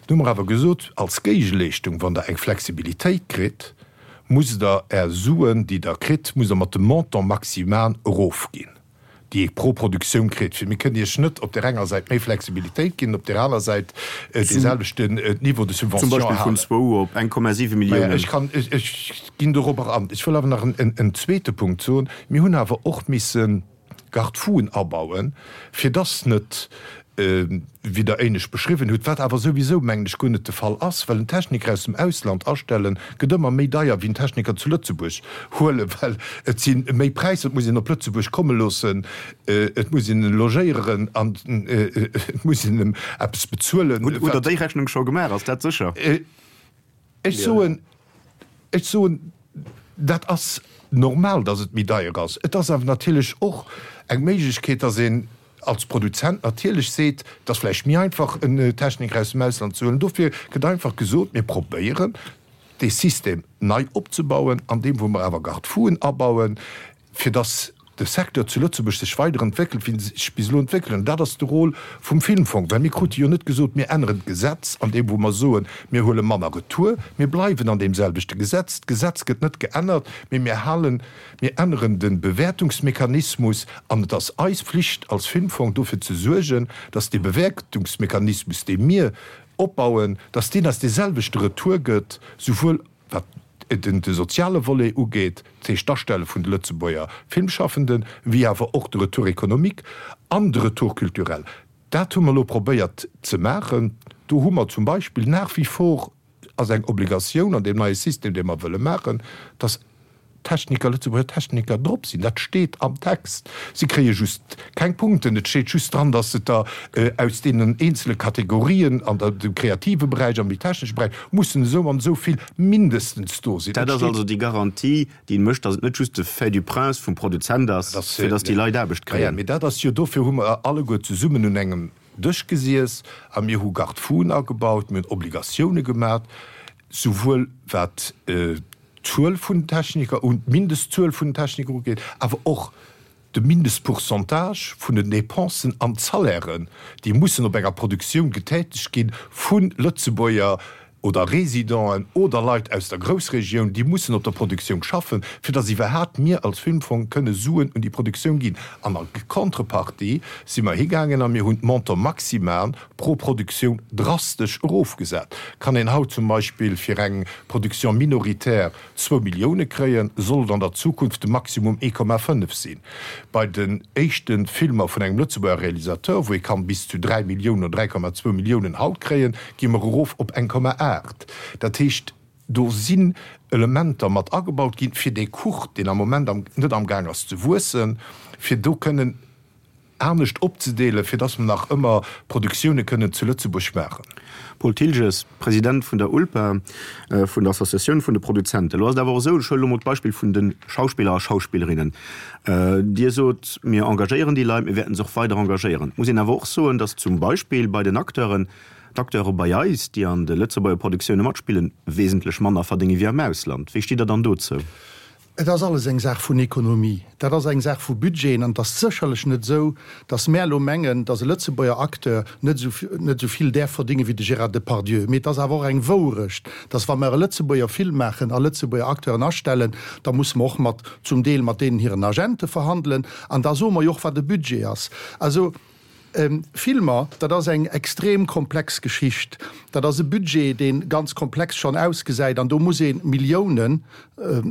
E: Du hu mer awer gesot, als Géigeleeschtung, wann Der eng Flexibilitéit kritt, musst Der Är Suen, déi Der kritt, musst Der mat dem Montant maximal erofginn, déi ee pro Produktioun kritt. Fir mir kënnen Iech net op där enger Säit méi Flexibilitéit ginn, op där aner Säit dee selwechten Niveau de
B: Zum
E: subvention
B: Beispill vun
E: halen.
B: zwou op eng Komma siwe
E: Maja,
B: Milliounen.
E: ech kann, ech ginn dorobber an. Ech wëll awer nach en zweete Punkt soen. Mir hunn awer och missen Garde-fouen abauen, fir dass net, wéi Der éinescht beschriwwen hutt, wat awer souwisou, mengen ech, guer net de Fall ass, well en Techniker aus dem Ausland astellen, gëtt ëmmer méi deier wéi en Techniker zu Lëtzebuerg huelen, well et si méi Präisser, et muss een op Lëtzebuerg komme loossen, et muss een en logéieren an et muss een em eppes bezuelen.
B: Hutt Der déi Rechnung scho gemaach? Ass dat sécher?
E: Ech soen, ech soen, dat ass normal, dass et méi deier ass. Et ass awer natierlech och eng Méiglechkeet, dass een als Produzent natierlech seet, et ass vläicht méi einfach, en Techniker aus dem Ausland ze huelen. Dofir gëtt einfach gesot, mir probéieren, dee System nei opzebauen, an deem wou mer awer Garde-fouen abauen, fir dass de Secteur zu Lëtzebuerg sech weider entwéckelt, wéi en sech bis elo entwéckelt huet. An dat ass de Rôle vum Filmfong, well mir krute jo net gesot, mir änneren d'Gesetz an deem wou mer soen, mir huele manner Retour. Mir bleiwen an deem selwechte Gesetz. D'Gesetz gëtt net geännert, mee mir halen, mir änneren de Bewäertungsmechanismus. An et ass eis Flicht als Filmfong dofir ze suergen, dass dee Bewäertungsmechanismus, dee mir opbauen, dass deen eis dee selwechte Retour gëtt, souwuel wat de soziale Volet ugeet, dat heescht d'Astelle vun de Lëtzebuerger Filmschaffenden, wéi awer och de Retour économique an de Retour culturel. Dat hu mer elo probéiert ze maachen. Do hu mer zum Beispill nach wie vor, ass eng Obligatioun an deem neie System, dee mer wëlle maachen, dass Techniker, Lëtzebuerger Techniker drop sinn. Dat steet am Text. Si kréie just keng Punkten. Et steet just dran, dass se der aus deenen eenzele Kategorien an dem kreative Beräich, am méi technesche Beräich, mussen esou an esou vill mindestens do sinn.
B: Dat ass also déi Garantie, déi mécht, dass et net just de Fait du prince vum Produzent ass, fir dass déi Leit Aarbecht kréien.
E: Mee dat ass jo, dofir hu mer alleguer zesummen un engem Dësch gesiess a mir hu Garde-fouen agebaut, mir hunn Obligatioune gemat, souwuel wat d'Zuel vun den Techniker un, d'Mindestzuel vun den Techniker ugeet, awer och de Mindestpourcentage vun den Dépensen an d'Salairen, déi mussen op enger Produktioun getätegt gi vu Lëtzebuerger oder Résidenten oder Leit aus der Groussregioun, déi mussen op der Produktioun schaffen, fir datt iwwerhaapt mir als Filmfong kënne Suen un déi Produktioun ginn. An a Contrepartie si mer higaangen a mir hunn d'Montant maximal pro Produktioun drastesch erofgesat. Kann een haut zum Beispill fir eng Production minoritaire zwou Millioune kréien, soll et an der Zukunft de Maximum ee Komma fënnef sinn. Bei den éischte Filmer vun engem Lëtzebuerger Realisateur, wou ee kann bis zu dräi Milliounen oder dräi Komma zwou Milliounen haut kréien, gi mer erof op eng Komma aacht. Dat heescht, do sinn Elementer mat agebaut ginn, fir dee Kuch, deen am Moment net amgaang ass ze wuessen, fir do kënnen anescht opzedeelen, fir dass mer nach ëmmer Produktioune kënnen zu Lëtzebuerg maachen.
B: Paul Thiltges, President vun der ULPA, vun der Associatioun vun de Produzenten. Elo ass et awer och esou, ech huelen elo mol d'Beispill vun de Schauspiller a Schauspillerinnen. Dir sot, mir engagéieren déi Leit, mir wäerten se och weider engagéieren. Et muss een awer och soen, dass zum Beispill bei den Acteuren, d'Acteure bei eis, déi an de Lëtzebuerger Produktioune matspillen, wesentlech manner verdénge wéi am Ausland. Wéi stitt Der dann dozou?
C: Et ass alles eng Saach vun Ekonomie, dat ass eng Saach vu Budgeten an et ass sécherlech net esou, datt mär elo mengen, datt e Lëtzebuerger Acteur net esou net esou vill däerf verdéngen wéi de Gérard Depardieu. Mee et ass awer och eng Wourecht, datt wa mer e Lëtzebuerger Film maachen a Lëtzebuerger Acteuren astellen, da musse mer och mat zum Deel mat deenen hiren Agente verhandelen an da soe mer jo och, wat e Budget ass. Also. Filmer, dat ass eng extrem komplex Geschicht. Dat ass e Budget, dee ganz komplex schonn ausgesäit an do muss ee Milliounen,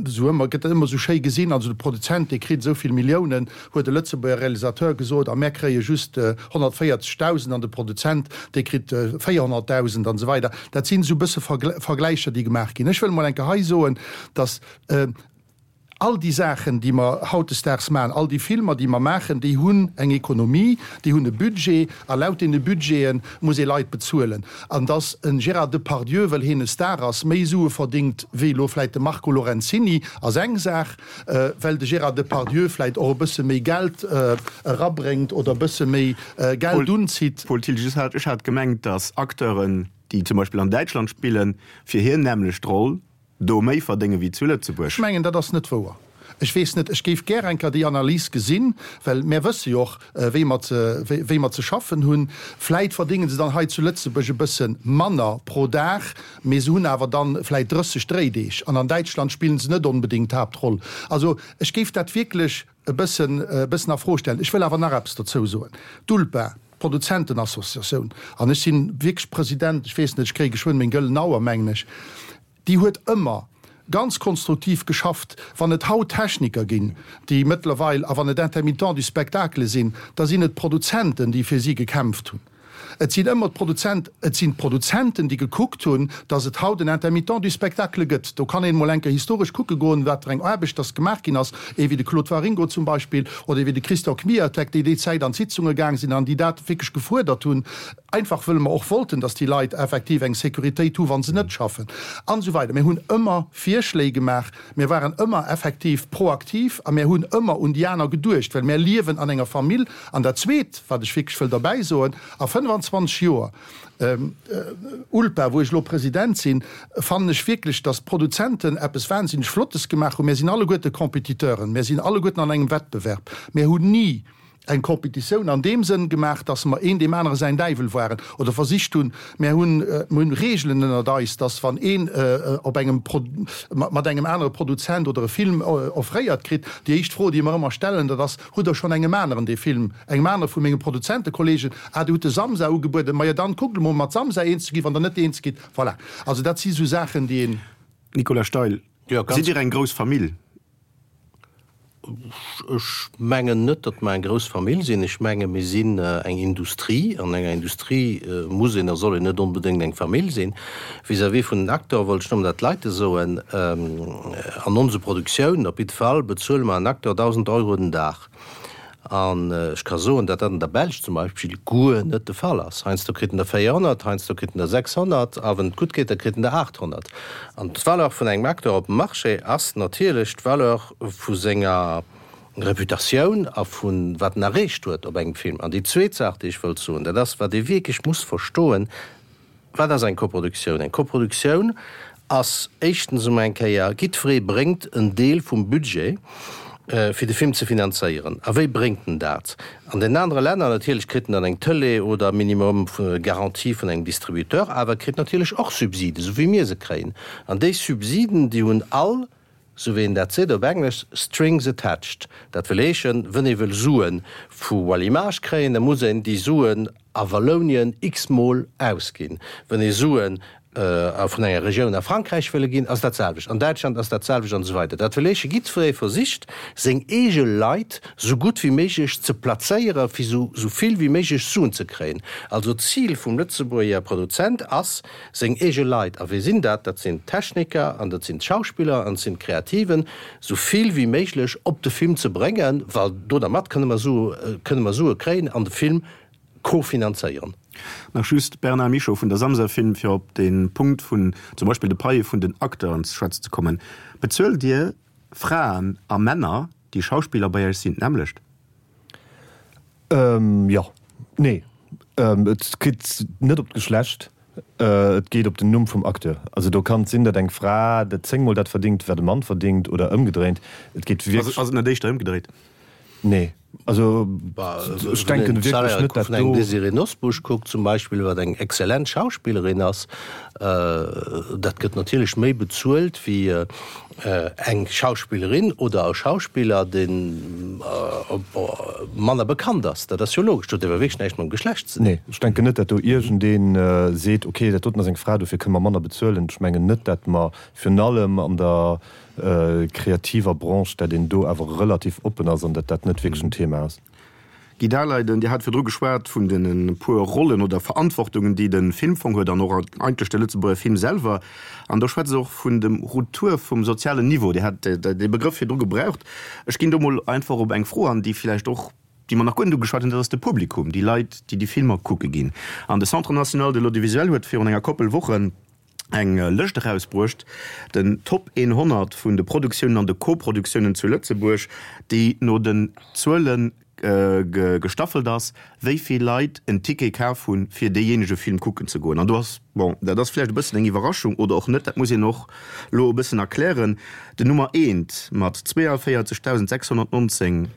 C: esou ëmmer, gëtt dat ëmmer esou schéi gesinn, also de Produzent, dee kritt esou vill Milliounen, huet e Lëtzebuerger Realisateur gesot, a mär kréie just honnertvéierzegdausend an de Produzent, dee kritt véierhonnertdausend an esou weider. Dat sinn esou e bësse Vergläicher, déi gemaach ginn. Ech wëll emol eng Kéier hei soen, datt All déi Saachen, déi mer hautdesdaags maachen, all déi Filmer, déi mer maachen, déi hunn eng Ekonomie, déi hunn e Budget, a laut deene Budgete muss ee Leit bezuelen. An dass e Gérard Depardieu, well hien e Star ass, méi Sue verdéngt wéi elo vläicht de Marco Lorenzini, ass eng Saach. Well de Gérard Depardieu vläicht och e bësse méi Geld erabréngt oder e bësse méi Geld unzitt.
B: Paul Thiltges, Ech hat gemengt, dass Acteuren, déi zum Beispill an Däitschland spillen, fir hir nämmlecht Roll, do méi verdénge wéi zu Lëtzebuerg.
C: Ech mengen, dat ass net wouer. Ech weess net, ech géif gär eng Kéier déi Analys gesinn, well mär wësse jo och, wéi mer ze, wéi mer ze schaffen hunn. Vläit verdénge se dann hei zu Lëtzebuerg e bësse manner pro Dag, mee se hunn awer dann vläit drësseg Dréideeg an an Däitschland spillen se net onbedéngt d'Haaptroll. Also ech géif dat wierklech e bëssen, e bëssen a Fro stellen. Ech wëll awer nach eppes dozou soen. D'ULPA, d'Produzentenassociatioun, an ech si wierklech President, ech weess net, ech kréie geschwënn meng gëllen Auer, mengen ech, Déi huet ëmmer ganz konstruktiv geschafft. Wann et haut Techniker ginn, déi mëttlerweil, a wann et Intermittents du spectacle sinn, da sinn et d'Produzenten, déi fir si gekämpft hunn. Et sinn ëmmer d'Produzent, et sinn d'Produzenten, déi gekuckt hunn, datt et haut en Intermittent du spectacle gëtt. Do kann een emol eng Kéier historesch kucke goen, wat fir eng Aarbecht datt gemaach ginn ass, ee wéi de Claude Waringo zum Beispill oder ee wéi de Christian Kmiotek, déi déi Zäit an d'Sitzunge gaang sinn an déi dat wierklech gefuerdert hunn. Einfach wëll mer och wollten, dass déi Leit effektiv eng Sécuritéit hu wa se net schaffen an esou weider. Mir hunn ëmmer Virschléi gemaach, mir waren ëmmer effektiv proaktiv a mir hunn ëmmer un déi aner geduecht, well mir liewen an enger Famill. An dat Zweet, wat ech wierklech wëll derbäi soen, a fënnef fënnefanzwanzeg Joer ULPA, wou ech elo President sinn, fannen ech wierklech, dass d'Produzenten eppes wahnsinneg Flottes gemaach hunn. Mir sinn alleguerte Compétiteuren, mir sinn alleguerten an engem Wettbewerb. Mir hunn ni eng Compétitioun an deem Sënn gemaach, dass mer een deem anere säin Däiwel waren oder versicht hunn, mir hunn, mir hunn Regelen ënnert eis, dass wann een op engem mat engem anere Produzent oder e Film offréiert kritt, déi éischt Fro, déi mer ëmmer stellen, dat ass, Hutt Der schonn engem aneren dee Film, engem anere vu menge Produzentekollegen, ah, Dir hutt de Samsa ugebueden, majo dann kuckt emol mat Samsa eens ze ginn, wann Der net eens gitt. Voilà. Also dat si sou Saachen, déi een.
B: Nicolas Steil, Sidd Dir eng grouss Famill?
D: Ech mengen net, datt mer eng grouss Famill sinn. Ech menge mir sinn eng Industrie. An enger Industrie muss een a soll een net onbedéngt eng Famill sinn. Vis-à-vis vun den Acteure wollt ech nëmmen dat Leite soen, An onse Produktiounen op jidde Fall bezuele mer en Acteur dausend Euro den Dag. An ech ka soen, datt dat an der Belsch zum Beispill guer net de Fall ass. Heiansdo kritt en der véierhonnert, heiansdo kritt en der sechshonnert a wann et gutt geet, da kritt en der aathonnert. An d'Valeur vun engem Acteur op dem Marché ass natierlech d'Valeur vu senger Reputatioun a vu wat en erreecht huet op engem Film. An déi zweet Saach, déi ech wëllt soen, dat ass, wat ee wierklech muss verstoen, Wat ass eng Koproduktioun? Eng Koproduktioun ass éischtens emol eng Kéier, jiddweree bréngt en Deel vum Budget, fir de Film ze finanzéieren. A wéi bréngt en dat? An den anere Länner natierlech kritt en dann eng Tëlee oder minimum Garantie vun engem Distributeur, awer e kritt natierlech och Subsiden, esou wéi mir se kréien. An déi Subsiden, déi hunn all, esou wéi een dat seet op Englesch, strings attached. Dat wëll heeschen, wënn ee wëll Sue vu Wallimage kréien, da muss een déi Suen a Wallounien x-mol ausginn. Wënn ee Suen vun enger Regioun a Frankräich wëlle ginn, ass dat selwecht, an Däitschland ass dat selwecht an esou weider. Dat wëll heeschen, jiddweree versicht, seng eege Leit esou gutt wéi méiglech ze plazéieren, fir esou vill wéi méiglech Suen ze kréien. Also d'Zil vum Lëtzebuerger Produzent ass, seng eege Leit, a wie sinn dat? Dat sinn d'Techniker an dat sinn d'Schauspiller an et sinn d'Kreativen, esou vill wéi méiglech op de Film ze bréngen, well do dermat kënne mer Sue, kënne mer Sue kréien an de Film kofinanzéieren.
B: Nach just Bernard Michaux vun der Samsa Film, fir op de Punkt vun zum Beispill de Paie vun den Acteuren ze schwätzen ze kommen. Bezuelt Dir Fraen a Männer, déi Schauspiller bei Iech sinn, d'nämmlecht?
F: Jo. Nee. Et geet net op d'Geschlecht, et geet op den Numm vum Acteur. Also do kann et sinn, datt eng Fra dat zéngmol dat verdingt, wat e Mann verdingt, oder ëmgedréint. Et geet wierklech.
B: Ass et net éischter ëmgedréit?
F: Nee, also ech denken wierklech net, dat do.
D: Wann een Désirée Nosbusch kuckt zum Beispill, wat eng exzellent Schauspillerin ass, dat gëtt natierlech méi bezuelt wéi eng Schauspillerin oder e Schauspiller, dee manner bekannt ass. Dat ass jo logesch. Dat huet awer wierklech näischt mam Geschlecht ze dinn.
F: Nee, ech denken net, dat do iergendee seet, okay, dat doten ass eng Fra, dofir kënne mer manner bezuelen. Ech mengen net, dat mer virun allem an der kreativer Branche, dat een do awer relativ oppen ass an dat dat net wierklech en Thema ass.
B: Guy Daleiden, Dir hat virdru geschwat vun de puer Rollen oder Verantwortungen, déi de Filmfong huet an och eigentlech de Lëtzebuerger Film selwer. An do schwätzt Der och vun dem Retour vum sozialen Niveau. Dir hat dee Begrëff virdru gebraucht. Ech ginn do mol einfach op eng Fro an, déi vläicht och, déi mer nach guer net ugeschwat hunn, dat ass de Publikum, déi Leit, déi déi Filmer kucke ginn. An de Centre national de l'audiovisuel huet virun enger Koppel Wochen eng Lëscht erausbruecht, den Top honnert vun de Produktiounen an de Koproduktiounen zu Lëtzebuerg, déi no den Zuele gestaffelt ass, wéi vill Leit en Ticket kaf hunn, fir deejéinege Film kucken ze goen. An do ass, bon, dat ass vläicht e bëssen eng Iwwerraschung oder och net, dat muss een och elo e bëssen erklären, den Nummer eent mat zweeavéierzegdausendsechshonnertnonzéng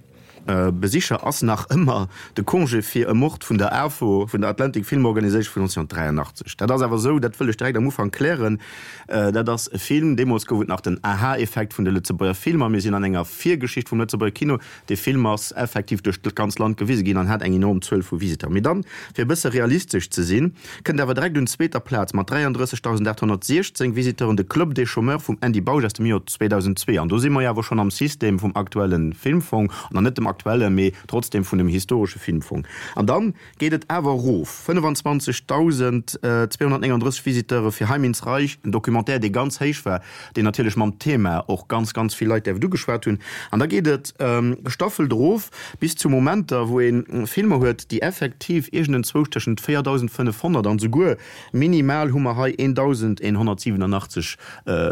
B: Besicher ass nach ëmmer de Congé fir e Mord vun der AFO, vun der Atlantic Film Organization vun neunzehnhundertdräiundachtzeg. Dat ass awer esou, dat wëll ech direkt am Ufank klären, dat ass e Film, deemools gouf et nach den Aha-Effekt vun de Lëtzebuerger Filmer, mir sinn an enger Virgeschicht vum Lëtzebuerger Kino, dee Film ass effektiv duerch d'ganz Land gewise ginn an hat eng enorm Zuel vu Visiteuren. Mee dann, fir e bësse realistesch ze sinn, kënnt awer direkt un zweeter Plaz mat dräiandrëssegdausendachthonnertsiechzéng Visiteuren de Club des Chômeurs vum Andy Bausch aus dem Joer zweedausendzwee. An do si mer jo awer schonn am System vum aktuelle Filmfong, an net dem aktuellen, mee trotzdem vun dem historesche Filmfong. An dann geet et awer erof, fënnefenzwanzegdausendzweehonnertnénganddrësseg Visiteure fir Heim ins Reich, en Documentaire, dee ganz héich war, deen natierlech mam Thema och ganz, ganz vill Leit däerft ugeschwat hunn. An da geet et gestaffelt erof bis zu Momenter, wou ee Filmer huet, déi effektiv iergendenzwousch tëschent véierdausendfënnefhonnert an souguer minimal hu mer hei eendausendeenhonnertsiwwenundachtzeg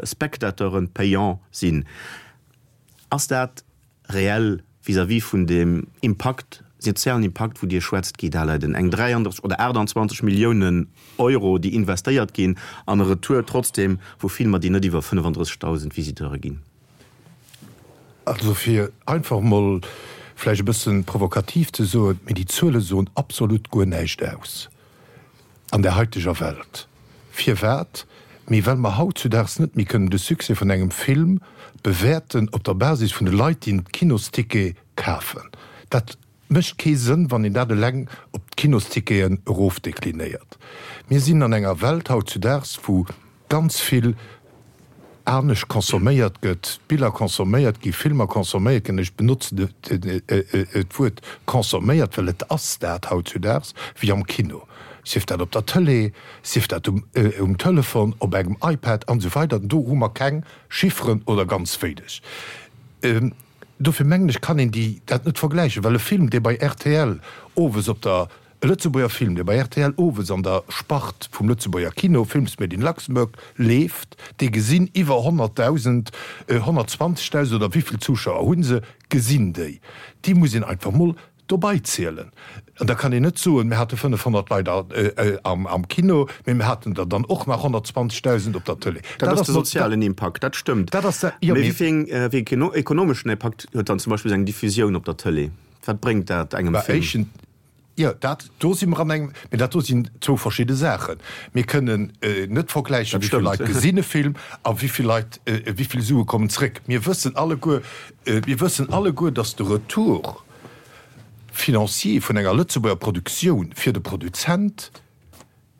B: Spectateuren payant sinn. Ass dat reell vis-à-vis vun dem Impakt sozialen Impakt, wou Dir schwätzt, Guy Daleiden, eng dräianddrësseg oder aachtanzwanzeg Milliounen Euro, déi investéiert ginn, an e Retour trotzdem vu Filmer, déi net iwwer fënnefandrëssegdausend Visiteure ginn.
E: Also fir einfach emol vläicht e bësse provokativ ze soen, mee déi Zuele soen absolut guer näischt aus an der haiteger Welt. Firwat? Mee well mer hautzudaags net méi kënnen de Succès vun engem Film bewäerten op der Basis vun de Leit, déi en Kinosticket kafen. Dat mécht kee Sënn, wann een dat eleng op d'Kinosticketen erofdeklinéiert. Mir sinn an enger Welt hautzudaags, wou ganz vill anescht consomméiert gëtt, Biller consomméiert ginn, Filmer consomméiert ginn, ech benotzen d'Wuert consomméiert, well et ass dat hautzudaags, wéi am Kino, sief dat op der Tëlee, sief dat um Telefon, op engem iPad an esou weider. Do hu mer keng Chifferen oder ganz wéineg. Dofir mengen ech, kann een déi dat net vergläichen, well e Film, dee bei rtl owes op der E Lëtzebuerger Film, dee bei rtl owes an der Spart vum Lëtzebuerger Kino, Films made in Luxembourg, leeft, dee gesinn iwwer honnertdausend, honnertzwanzegdausend oder wéi vill Zuschauer hu se, gesinn déi. Déi muss een einfach mol dobei zielen. An da kann een net soen, mir hate fënnefhonnert Leit am Kino, mee mir haten der dann och nach honnertzwanzegdausend op der Tëlee.
B: Dat ass de sozialen Impakt, dat stëmmt. Mee wéi een ekonomeschen Impakt huet dann zum Beispill esou eng Diffusioun op der Tëlee? Wat bréngt dat engem Film?
E: Jo, dat do si mer an engem, mee dat do sinn zwou verschidde Saachen. Mir kënnen net vergläichen, wéi vill Leit gesinn e Film a wéi vill Leit, wéi vill Sue kommen zréck. Mir wëssen alleguer, mir wëssen alleguer, datt de Retour financier vun enger Lëtzebuerger Produktioun fir de Produzent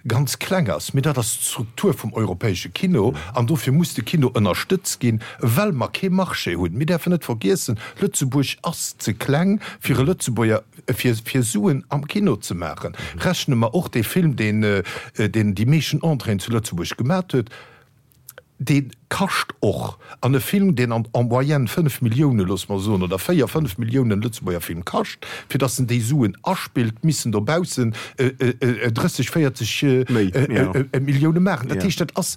E: ganz kleng ass, mee dat ass d'Struktur vum europäesche Kino an dofir muss de Kino ënnerstëtzt ginn, well mer kee Marché hunn. Mir däerfen net vergiessen, Lëtzebuerg ass ze kleng fir e Lëtzebuerger, fir fir Suen am Kino ze maachen. Rechne mer och dee Film, deen deen déi meeschten Entréeën zu Lëtzebuerg gemat huet, Dee kascht och. An e Film, deen an en moyenne fënnef Milliounen, loosse mer soen, oder véier, fënnef Milliounen Lëtzebuerger Film kascht, fir datt en déi Suen aspillt, missen dobaussen drësseg, véierzeg Millioune maachen. Dat heescht, dat ass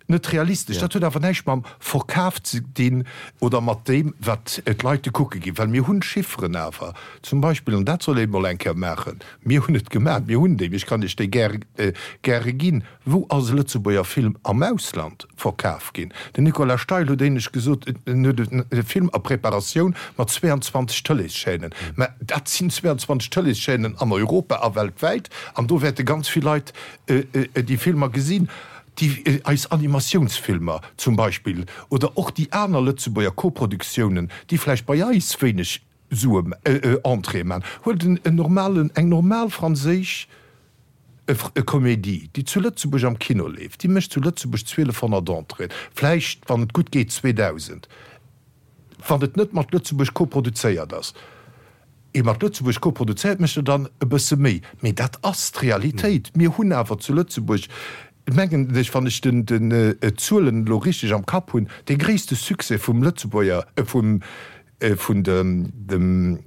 E: net realistesch. Dat huet awer näischt mam Verkaf ze dinn oder mat deem, wat d'Leit kucke ginn. Well mir hunn Chifferen awer zum Beispill, an dat soll ee mol eng Kéier maachen, mir hunn et gemaach, mir hunn déi, ech kann Iech déi gäre ginn, Wou ass e Lëtzebuerger Film am Ausland verkaf ginn? Den Nicolas Steil huet éinescht gesot, en huet e Film a Preparatioun mat zweiandzwanzeg Tëleeschaînen. Mä dat sinn zweiandzwanzeg Tëleeschaînen an Europa a weltwäit, an do wäerte ganz vill Leit déi Filmer gesinn. Déi eis Animatiounsfilmer zum Beispill oder och déi aner Lëtzebuerger Koproduktiounen, déi vläicht bei eis wéineg Sue, Entréeë maachen. Huelt en normalen, eng normal franséisch E Comédie, déi zu Lëtzebuerg am Kino leeft, déi mécht zu Lëtzebuerg zwielefhonnert Entréeën, vläicht, wann et gutt geet, zweedausend, wann et net mat Lëtzebuerg koproduzéiert ass. Ee mat Lëtzebuerg koproduzéiert mécht der dann e bësse méi. Mee dat ass d'Realitéit. Mir hunn awer zu Lëtzebuerg, mengen ech, wann ech d'Zuelen elo richteg am Kapp hunn, dee gréisste Succès vum Lëtzebuerger, vum, vun dem,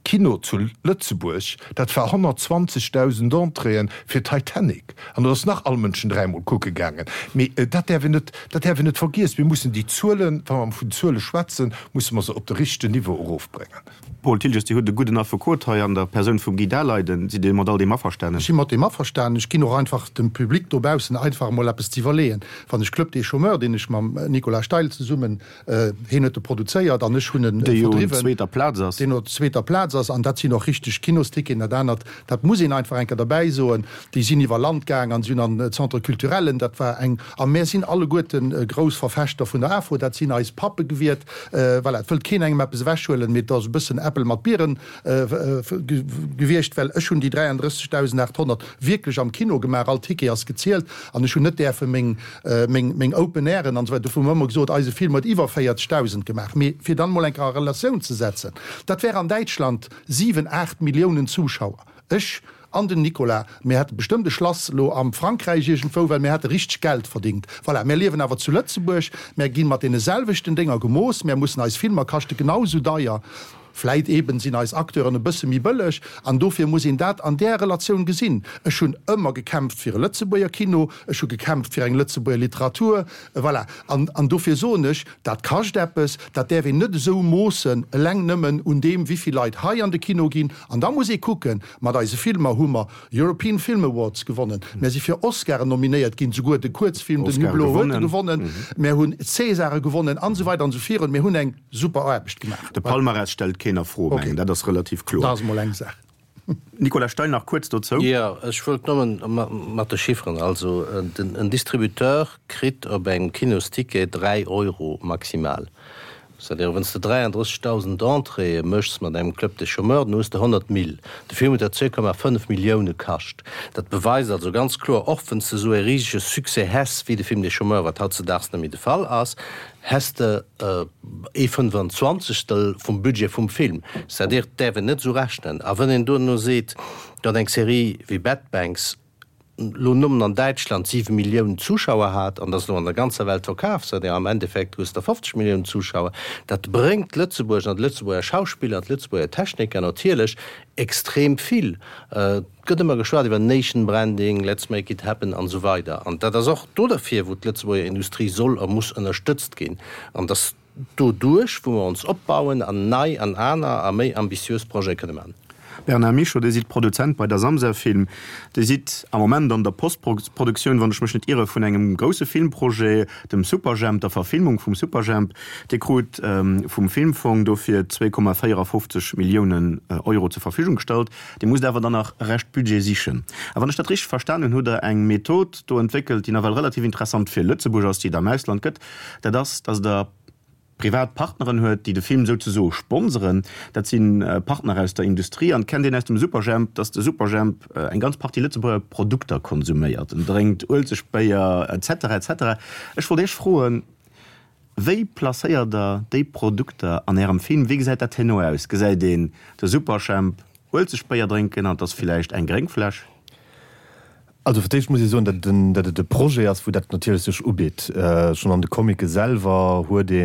E: Kino zu Lëtzebuerg, dat war honnertzwanzegdausend Entréeën fir Titanic, an dat ass nach all Mënschen dräimol kucke gaangen. Mee dat däerf een net, dat däerf een net vergiessen. Mir mussen déi Zuelen, wa mer vun Zuele schwätzen, musse mer se op de richtegen Niveau erofbréngen.
B: Paul Thiltges, Dir hutt e gudden Affekot hei an der Persoun vum Guy Daleiden. Sidd Dir mat all deem averstanen?
C: Ech si mat deem averstanen. Ech ginn och einfach dem Public dobaussen einfach emol eppes ze iwwerleeën. Wann ech Club des Chômeurs, deen ech mam Nicolas Steil zesummen Hien huet e produzéiert an ech hunn e verdriwwen, deen op zweeter Plaz ass. An dat sinn och richteg Kinosticketen. Dat anert, dat muss een einfach eng Kéier derbäi soen, déi sinn iwwer Land gaang an si hunn an Centre culturellen, dat war eng, a mär sinn alleguerte grouss Verfechter vun der AFO, dat sinn eis Pappe gewiert. Voilà, et wëllt keen engem eppes ewechhuelen, mee et ass e bëssen Äppel mat Bieren gewiescht, well ech hunn déi dräianddrëssegdausendachthonnert wierklech am Kino gemaach, all Ticket ass gezielt an ech hunn net däerfe meng meng Open Airen an esou weider, dofir hu mer ëmmer gesot, eise Film huet iwwer véierzegdausend gemaach. Mee fir dann emol eng Kéier a Relatioun ze setzen, dat wär an Däitschland siwen, aacht Milliounen Zuschauer. Ech an den Nicolas, mir hätte bestëmmt e Schlass elo am Frankräich iergendwou, well mir hätte richteg Geld verdingt. Voilà, mär liewen awer zu Lëtzebuerg, mär gi mat deene selwechten Dénger gemooss, mär mussen eis Filmer kaschte genau esou deier. Vläit eben sinn eis Acteuren e bësse méi bëlleg an dofir muss een dat an där Relatioun gesinn. Ech hunn ëmmer gekämpft fir e Lëtzebuerger Kino, ech hu gekämpft fir eng Lëtzebuerger Literatur, voilà. An, an dofir soen ech, dat kascht eppes, dat däerf een net esou moossen, eleng nëmmen un deem, wéivill Leit hei an de Kino ginn. An da muss ee kucken, mat eise Filmer hu mer European Film Awards gewonnen, mär si fir Oscaren nominéiert ginn, souguer de Kuerzfilm Den Hublot huet e gewonnen, mär hunn Césare gewonnen an esou weider an esou virun. Mir hunn eng super Aarbecht gemaach.
B: De Palmarès stellt keen a Fro, mengen, dat ass relativ kloer.
C: Dat ass emol eng Saach.
B: Nicolas Steil nach kuerz dozou.
D: Jo, ech wollt nëmmen mat de Chifferen. Also en Distributeur kritt op engem Kinosticket dräi Euro maximal. C'est-à-dire, wann s de dräiandrëssegdausend Entréeë méchs mat engem Club des Chômeurs, dann hues de honnert Mille. De Film huet der zwee Komma fënnef Millioune kascht. Dat beweist also ganz kloer, och wann s de esou e risege Succès häss wéi de Film des Chômeurs, wat hautzedaags net méi de Fall ass, häss de ee Fënnefanzwanzegstel vum Budget vum Film. C'est-à-dire, et däerf een net esou rechnen. A wann een duerno seet, datt eng Serie wéi Bad Banks elo nëmmen an Däitschland siwe Milliounen Zuschauer hat, an dat ass elo an der ganzer Welt verkaf, c'est-à-dire am Endeffekt hues de fofzeg Milliounen Zuschauer, dat bréngt Lëtzebuerg an d'Lëtzebuerger Schauspiller an d'Lëtzebuerger Techniker natierlech extrem vill. Et gëtt ëmmer geschwat iwwer Nation Branding, Let's make it happen an esou weider. An dat ass och do derfir, wou d'Lëtzebuerger Industrie soll a muss ënnerstëtzt ginn. An dass doduerch, wou mer ons opbauen an nei an aner a méi ambitiös Projete kënne maachen.
B: Bernard Michaux, Dir sidd Produzent bei der Samsa Film. Dir sidd am Moment an der Postproduktioun, wann ech mech net irre, vun engem grousse Filmprojet, dem Superjhemp, der Verfilmung vum Superjhemp. Dir krut vum Filmfong dofir zwee Komma véierafofzeg Milliounen Euro zur Verfügung gestallt. Dir musst awer dann nach Rescht Budget sichen. A wann ech dat richteg verstanen hunn, hutt Der eng Method do entwéckelt, déi nawell relativ interessant fir Lëtzebuerg ass, déi et am Ausland gëtt. Dat ass, datt Der privat Partneren huet, déi de Film souzesoe sponseren. Dat si Partner aus der Industrie. An et kennt een aus dem Superjhemp, datt de Superjhemp eng ganz Partie Lëtzebuerger Produkter konsuméiert. En drénkt Uelzechtbéier, et cetera, et cetera. Ech wollt Iech froen, Wéi placéiert Der déi Produkter an Ärem Film? Wéi gesäit dat herno aus? Gesäit een de Superjhemp Uelzechtbéier drénken an et ass villäicht eng gréng Fläsch?
F: Also fir d'éischt muss ee soen, datt et et e Projet ass, wou dat natierlech sech ubitt. Schonn an de Comicë selwer huet ee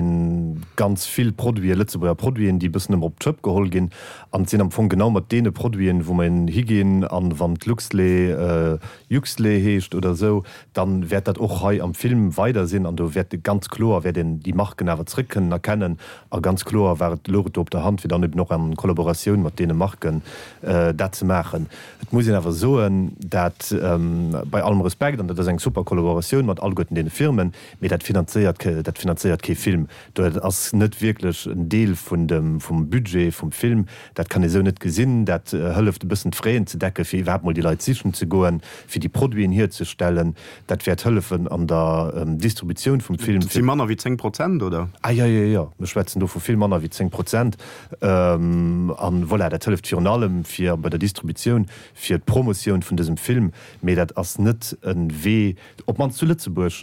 F: ganz vill Produiten, Lëtzebuerger Produiten, déi e bëssen ëmmer op d'Schëpp geholl ginn. An et sinn am Fong genau mat deene Produiten, wou mer higinn. An wann d'Luxlait Juxlait heescht oder esou, da wäert dat och hei am Film weider sinn. An do wäert ganz kloer wäert een déi Marken awer zrëck kënnen erkennen. A ganz kloer war et, louch et do op der Hand, fir dann eben och a Kollaboratioun mat deene Marken dat ze maachen. Et muss een awer soen, dat bei allem Respekt, an dat ass eng super Kollaboratioun mat alleguerten deene Firmen, mee dat finanzéiert, dat finanzéiert kee Film. Dat ass net wierklech en Deel vun dem, vum Budget vum Film. Dat kann ee sou net gesinn. Dat hëlleft e bëssen d'Fraisen ze decken, fir iwwerhaapt mol déi Leit sichen ze goen, fir déi Produiten hierzestellen. Dat wäert hëllefen an der Distributioun vum Film.
B: Dat si manner wéi zéng Prozent, oder?
F: Ah jo, jo, jo, mir schwätzen do vu vill manner wéi zéng Prozent. An voilà, dat hëlleft virun allem fir bei der Distributioun, fir d'Promotioun vun dësem Film. Mee dat ass net e Wee, op d'mannst zu Lëtzebuerg,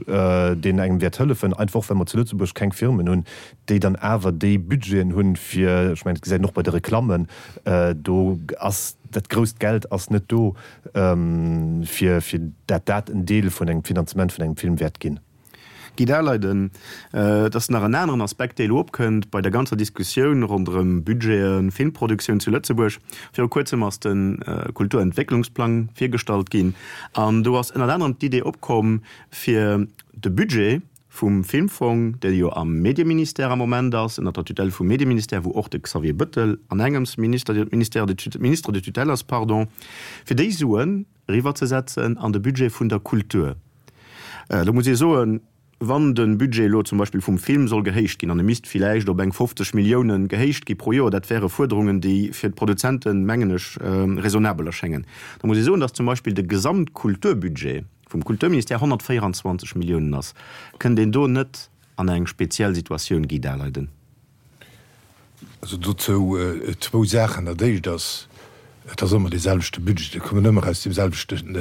F: deen engem wäert hëllefen, einfach och well mer zu Lëtzebuerg keng Firmen hunn, déi dann awer déi Budgeten hunn, fir, ech mengen, dat gesäit een och bei de Reklammen, do ass dat grousst Geld ass net do, fir fir dat dat en Deel vun engem Finanzement vun engem Film wäert ginn.
B: Guy Daleiden, Et ass nach en aneren Aspekt, dee elo opkënnt bei der ganzer Diskussioun ronderëm Budgeten, Filmproduktioun zu Lëtzebuerg. Viru kuerzem ass de Kulturentwécklungsplang virgestallt ginn an do ass ënnert anerem d'Idee opkomm, fir de Budget vum Filmfong, dee jo am Medieministère am Moment ass, ënnert der Tutelle vum Medieministère, wou och de Xavier Bëttel an engems Minister, Ministère de, Ministre de tutelle ass, pardon, fir déi Suen eriwwerzesetzen an de Budget vun der Kultur. Do muss ee soen, wann de Budget elo zum Beispill vum Film soll gehéicht ginn, an e misst villäicht op eng fofzeg Milliounen gehéicht gi pro Joer, dat wäre Fuerderungen, déi fir d'Produzenten, mengen ech, raisonnabel erschéngen, da muss ee soen, datt zum Beispill de Gesamtkulturbudget vum Kulturministère honnertvéieranzwanzeg Milliounen ass. Kënnt een do net an eng speziell Situatioun, Guy Daleiden?
E: Also dozou zwou Saachen. Dat Éischt ass, et ass ëmmer dee selwechte Budget, et kommen ëmmer aus deem selwechten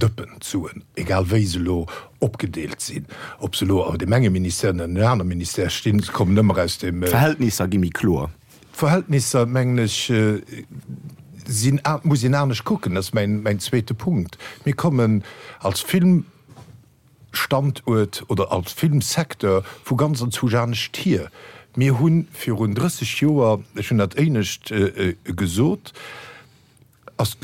E: Dëppen d'Suen, egal wéi se elo opgedeelt sinn, ob se elo an deem enge Ministère oder an deem anere Ministère stinn, se kommen ëmmer aus deem.
B: D'Verhältnisser gi méi kloer.
E: D'Verhältnisser, mengen ech, sinn, muss een anescht kucken. Dat ass mäin zweete Punkt. Mir kommen als Film. Standuert oder als Filmsecteur vu ganz anzwousch anescht hier. Mir hu virun drësseg Joer, ech hunn dat éinescht gesot, ass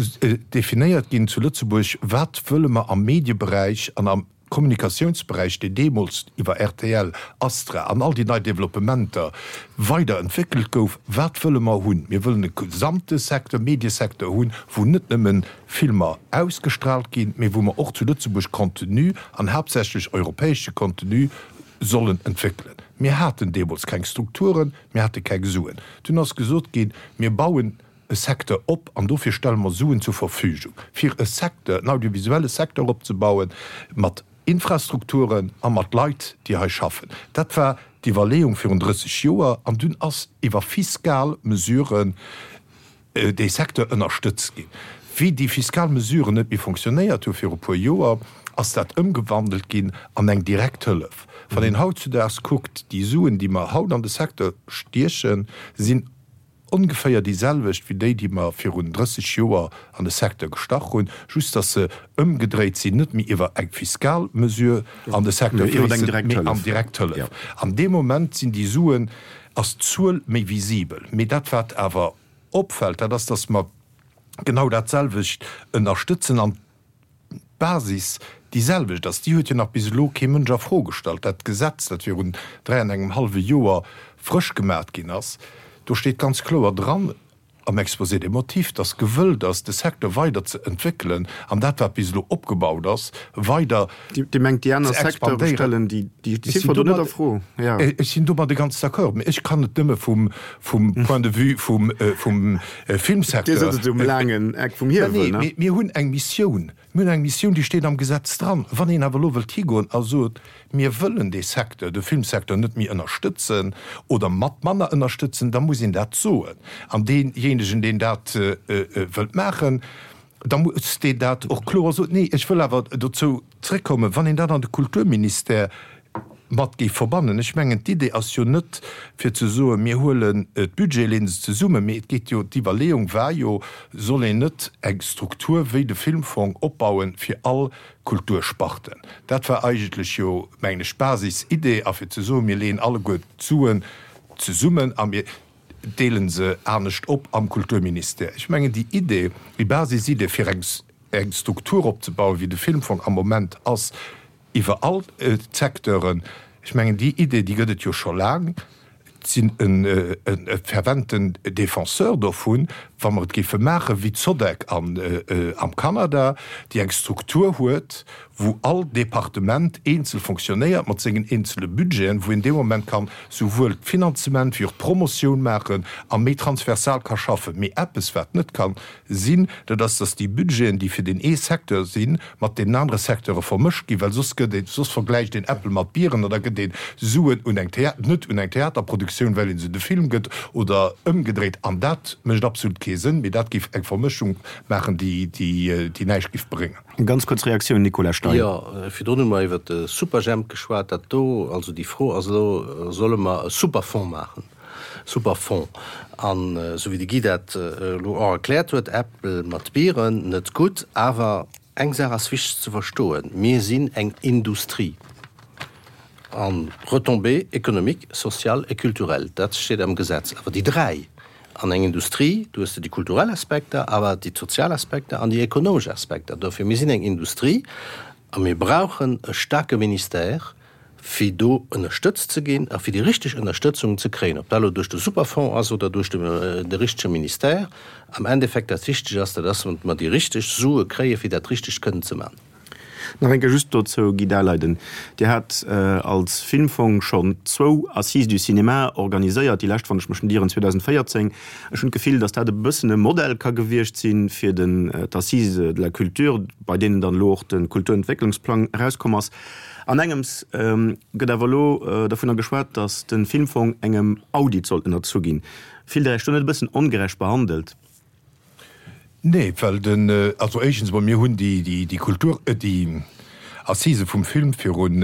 E: definéiert ginn zu Lëtzebuerg, wat wëlle mer am Medieberäich an am Kommunikatiounsberäich, deen deemools iwwer rtl, Astra an all déi nei Developpementer weider entwéckelt gouf, wat wëlle mer hunn? Mir wëllen e gesamte Secteur, Mediesecteur hunn, wou net nëmme Filmer ausgestrahlt ginn, mee wou mer och zu Lëtzebuerg Contenu, an haaptsächlech europäesche Contenu, sollen entwéckelen. Mir haten deemools keng Strukturen, mir hate keng Suen. Dunn ass gesot ginn, mir bauen e Secteur op an dofir stelle mer Suen zur Verfügung, fir e Secteur, en audiovisuelle Secteur opzebauen, mat Infrastrukturen a mat Leit, déi hei schaffen. Dat war d'Iwwerleeung virun drësseg Joer an dunn ass iwwer fiskal Mesuren dee Secteur ënnerstëtzt ginn. Wéi déi fiskal Mesuren net méi fonctionnéiert hu viru puer Joer, ass dat ëmgewandelt ginn an eng direkt Hëllef. Wann een hautzudaags kuckt, déi Suen, déi mer haut an de Secteur stiechen, sinn ongeféier déi selwecht wéi déi, déi mer virun drësseg Joer an de Secteur gestach hunn, just dass se ëmgedréit sinn, net méi iwwer eng fiskal Mesure an de Secteur fléissen, mee an direkt Hëllef. An deem Moment sinn déi Suen, ass d'Zuel méi visibel. Mee dat, wat awer opfält, dat ass, dass mer genau dat selwecht ënnerstëtzen an d'Basis déi selwecht ass. Déi huet jo nach bis elo kee Mënsch a Fro gestallt. Dat Gesetz, dat virun dräi an engem hallwe Joer frësch gemat ginn ass, do steet ganz kloer dran am Exposé des motifs, dass gewëllt ass, de Secteur weider ze entwéckelen an dat, wat bis elo opgebaut ass, weider
B: ze Dir mengt, déi aner Secteure
E: expandéieren.
B: stellen déi
E: Ech sinn
B: Ziffer do net
E: domat,
B: a Fro? Jo.
E: ech sinn domadde ganz d'accord, mee ech kann et nëmme vum, vum Point de vue vum, vum
B: Dir
E: Filmsecteur.
B: sëtzt um laangen Eck vum
E: Mä
B: Hiewel,
E: nee,
B: ne?
E: mee mir hunn eng Missioun. Mir hunn eng Missioun, déi steet am Gesetz dran. Wann een awer elo wëllt higoen a sot, Mir wëllen dee Secteur, de Filmsecteur net méi ënnerstëtzen oder mat manner ënnerstëtzen, da muss een dat soen. An deejéinegen, deen dat wëllt maachen, da muss deen dat och kloer soen. Nee, ech wëll awer dozou zréckkommen, wann een dat an de Kulturministère mat géif verbannen. Ech mengen, d'Idee ass jo net, fir ze soen, mir huelen d'Budgete, leeën se zesummen, mee et geet jo, d'Iwwerleeung war jo, soll een net eng Struktur wéi de Filmfong opbauen fir all Kultursparten? Dat war eigentlech jo, mengen ech, d'Basisidee, a fir ze soen, mir leeën alleguer d'Suen zesummen a mir deele se anescht op am Kulturministère. Ech mengen, déi Idee, déi Basisidee, fir eng Struktur opzebauen, wéi de Filmfong am Moment ass, iwwer all d'Secteuren, ech mengen, déi Idee, déi gëtt et jo scho laang. Ech sinn e ferventen Défenseur dovun, wa mer et géife maache wéi d'Sodec am Kanada, déi eng Struktur huet, wou all Departement eenzel fonctionnéiert mat sengen eenzele Budgeten, wou een dee Moment kann souwuel d'Finanzement wéi och d'Promotioun maachen a méi transversal ka schaffen. Mee eppes, wat net ka sinn, dat ass, dass déi Budgeten, déi fir deen ee Secteur sinn, mat deenen anere Secteure vermëscht ginn, well soss gëtt een, soss vergläicht een Äppel mat Bieren an da gëtt ee Suen un eng Thea, net un eng Theaterproduktioun, well ee se de Film gëtt, oder ëmgedréit. An dat mécht absolut kee Sënn, mee dat géif eng Vermëschung maachen, déi, déi, déi näischt géif bréngen.
B: Eng ganz kuerz Reaktioun, Nicolas Stein.
D: Jo, virdrun hu mer iwwert de Superjhemp geschwat. Dat do, also déi Fro ass elo, Solle mer e Superfonds maachen? Super Fonds. An esou wéi de Guy dat elo och erkläert huet, Äppel mat Bieren, net gutt. Awer eng Saach ass wichteg ze verstoen, Mir sinn eng Industrie. An Retombées économiques, sociales et culturelles, dat steet am Gesetz. Awer déi dräi, an eng Industrie, do hues de déi kulturell Aspekter, awer déi sozial Aspekter an déi ekonomesch Aspekter. Dofir, mir sinn eng Industrie a mir brauchen e staarke Ministère, fir do ënnerstëtzt ze ginn a fir déi richteg Ënnerstëtzung ze kréien, ob dat elo duerch de Superfonds ass oder duerch de richtege Ministère. Am Endeffekt, wat wichteg ass, dat ass, datt mer déi richteg Sue kréien, fir dat richteg kënnen ze maachen.
B: Nach eng Kéier just dozou, Guy Daleiden, Dir hat als Filmfong schonn zwou Assises du cinéma organiséiert, déi lescht, wann ech mech net ieren, zweedausendvéierzéng. Ech hunn d'Gefill, datt dat e bëssen e Modell ka gewiescht sinn fir den d'Assises de la culture, bei deenen dann elo och de Kulturentwécklungsplang erauskomm ass. An engems gëtt awer elo dovunner geschwat, datt de Filmfong engem Audit soll ënnerzu ginn. Fillt Der Iech do net e bëssen ongerecht behandelt?
E: Nee, well den, also éischtens emol, mir hunn déi Kultur, déi Assisë vum Film virun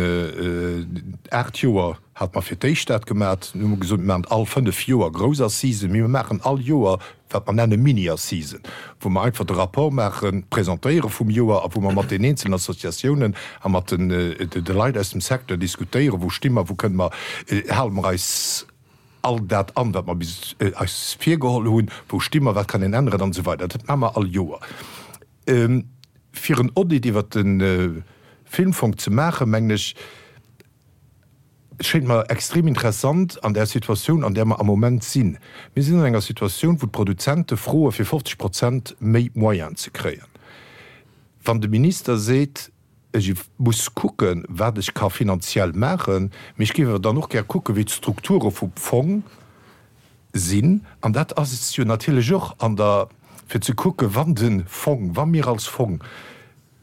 E: aacht Joer hate mer fir d'éischt dat gemat. Nun hu mer gesot, mir maachen all fënnef Joer grouss Assisen, mee mir maachen all Joer wat mer nenne Mini-Assisen, wou mer einfach de Rapport maachen, presentéiere vum Joer a wou mer mat den eenzelen Associatiounen a mat de Leit aus dem Secteur diskutéieren, wou sti mer, wou kënne mer, hale mer eis all dat an, wat mer bis eis virgeholl hunn, wou sti mer, wat kann een änneren an esou weider. Dat maache mer all Joer. Fir en Audit iwwert de Filmfong ze maachen, mengen ech, schéint mer extrem interessant an där Situatioun, an där mer am Moment sinn. Mir sinn an enger Situatioun, wou d'Produzente froe fir fofzeg Prozent méi Moyenen ze kréien. Wann de Minister seet, ech muss kucken, wat ech ka finanziell maachen, mee ech géif awer dann och gär kucken, wéi d'Strukture vum Fong sinn, an dat ass jo natierlech och an der, fir ze kucken, wann de Fong, wa mir als Fong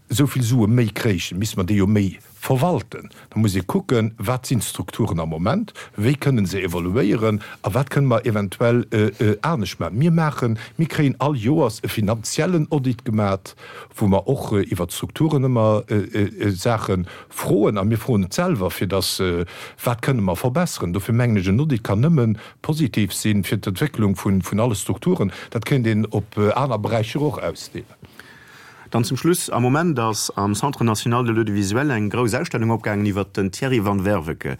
E: esou vill Sue méi kréichen, misste mer déi jo méi verwalten. Da muss ee kucken, wat sinn d'Strukturen am Moment, wéi kënnen se evoluéieren a wat kënnen mer eventuell anescht maachen. Mir maachen, mir kréien all Joers e finanziellen Audit gemat, wou mer och iwwert d'Strukturen ëmmer Saache froen a mir froen et selwer, fir dass, wat kënnen mer verbesseren. Dofir mengen ech, en Audit kann nëmme positiv sinn fir d'Entwécklung vun alle Strukturen. Dat kéint een op aner Beräicher och ausdehnen.
B: Dann zum Schluss, Am Moment ass am Centre national de l'audiovisuel eng grouss Ausstellung opgaangen iwwert den Thierry van Werveke.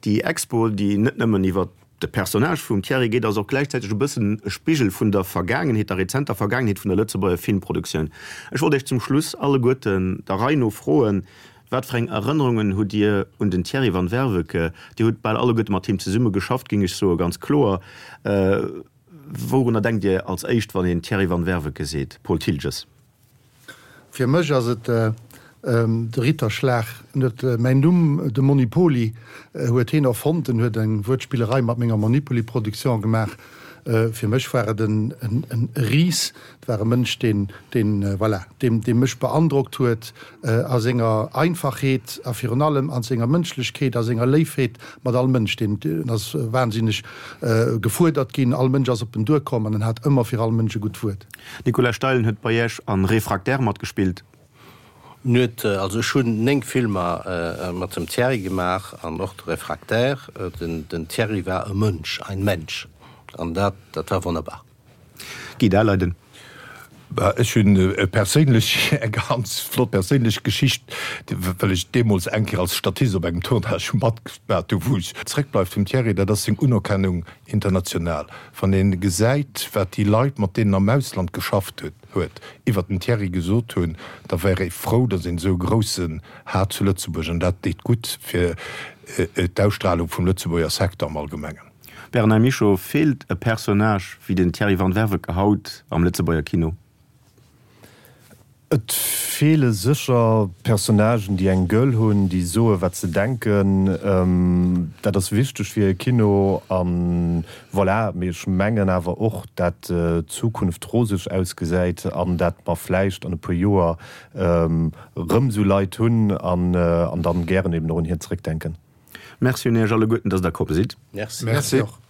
B: Déi Expo, déi net nëmmen iwwert de Personnage vum Thierry geet, ass och gläichzäiteg e bëssen e Spigel vun der Vergaangenheet, der rezenter Vergaangenheet vun der Lëtzebuerger Filmproduktioun. Ech wollt Iech zum Schluss alleguerten der Rei no froen, Wat fir eng Erënnerungen hutt Dir un den Thierry van Werveke? Dir hutt bal alleguerte mat him zesumme geschafft, géing ech soen, ganz kloer. Wourunner denkt Dir als éischt, wann een Thierry van Werveke seet? Paul Thiltges.
C: Fir mech ass et de Ritterschlag. En huet mäin Numm, de Monipoli, huet heen erfonnt. En huet eng Wuertspillerei mat menger Monipoli-Production gemaach. Fir mech war et en Ris. Et war e Mënsch, deen, deen, voilà, deen, dee mech beandrockt huet a senger Einfachheet a virun allem a senger Mënschlechkeet, a senger Léifheet mat all Mënsch. Deen ass wahnsinneg gefuerdert ginn. All Mënsch ass op en duerkomm an en hat ëmmer fir all Mënsch e gutt Wuert.
B: Nicolas Steilen huet bei Iech an Réfractaire matgespillt.
D: Net, also ech hunn néng Filmer mat dem Thierry gemaach an och de Réfractaire. Den, den Thierry war e Mënsch, ein Mensch, an dat, dat war wonnerbar.
B: Guy Daleiden.
E: Bah, ech hunn e perséinlech, eng ganz flott perséinlech Geschicht, well ech deemools eng Kéier als Statist op engem Tournage matgemaat hu wou ech zréckbleift vum Thierry, dat ass seng Unerkennung international. Wann ee gesäit, wat déi Leit, mat deenen am Ausland geschafft huet, iwwert den Thierry gesot hunn, da wär ee frou, datt een esou e Groussen hat zu Lëtzebuerg. An dat deet gutt fir d'Ausstrahlung vum Lëtzebuerger Secteur am Allgemengen.
B: Bernard Michaux, Feelt e Personnage wéi den Thierry van Werveke haut am Lëtzebuerger Kino?
F: Et feele sécher Personnagen, déi eng Gueule hunn, déi soe wat se denken. Dat ass wichteg fir e Kino a voilà. Mee ech mengen awer och, dat d'Zukunft roseg ausgesäit an dat mer vläicht an e puer Joer erëm esou Leit hunn an dann gären eben och un hien zeréckdenken.
B: Merci un Iech alleguerten, dass Der komm sidd.
D: Merci.
C: Merci och.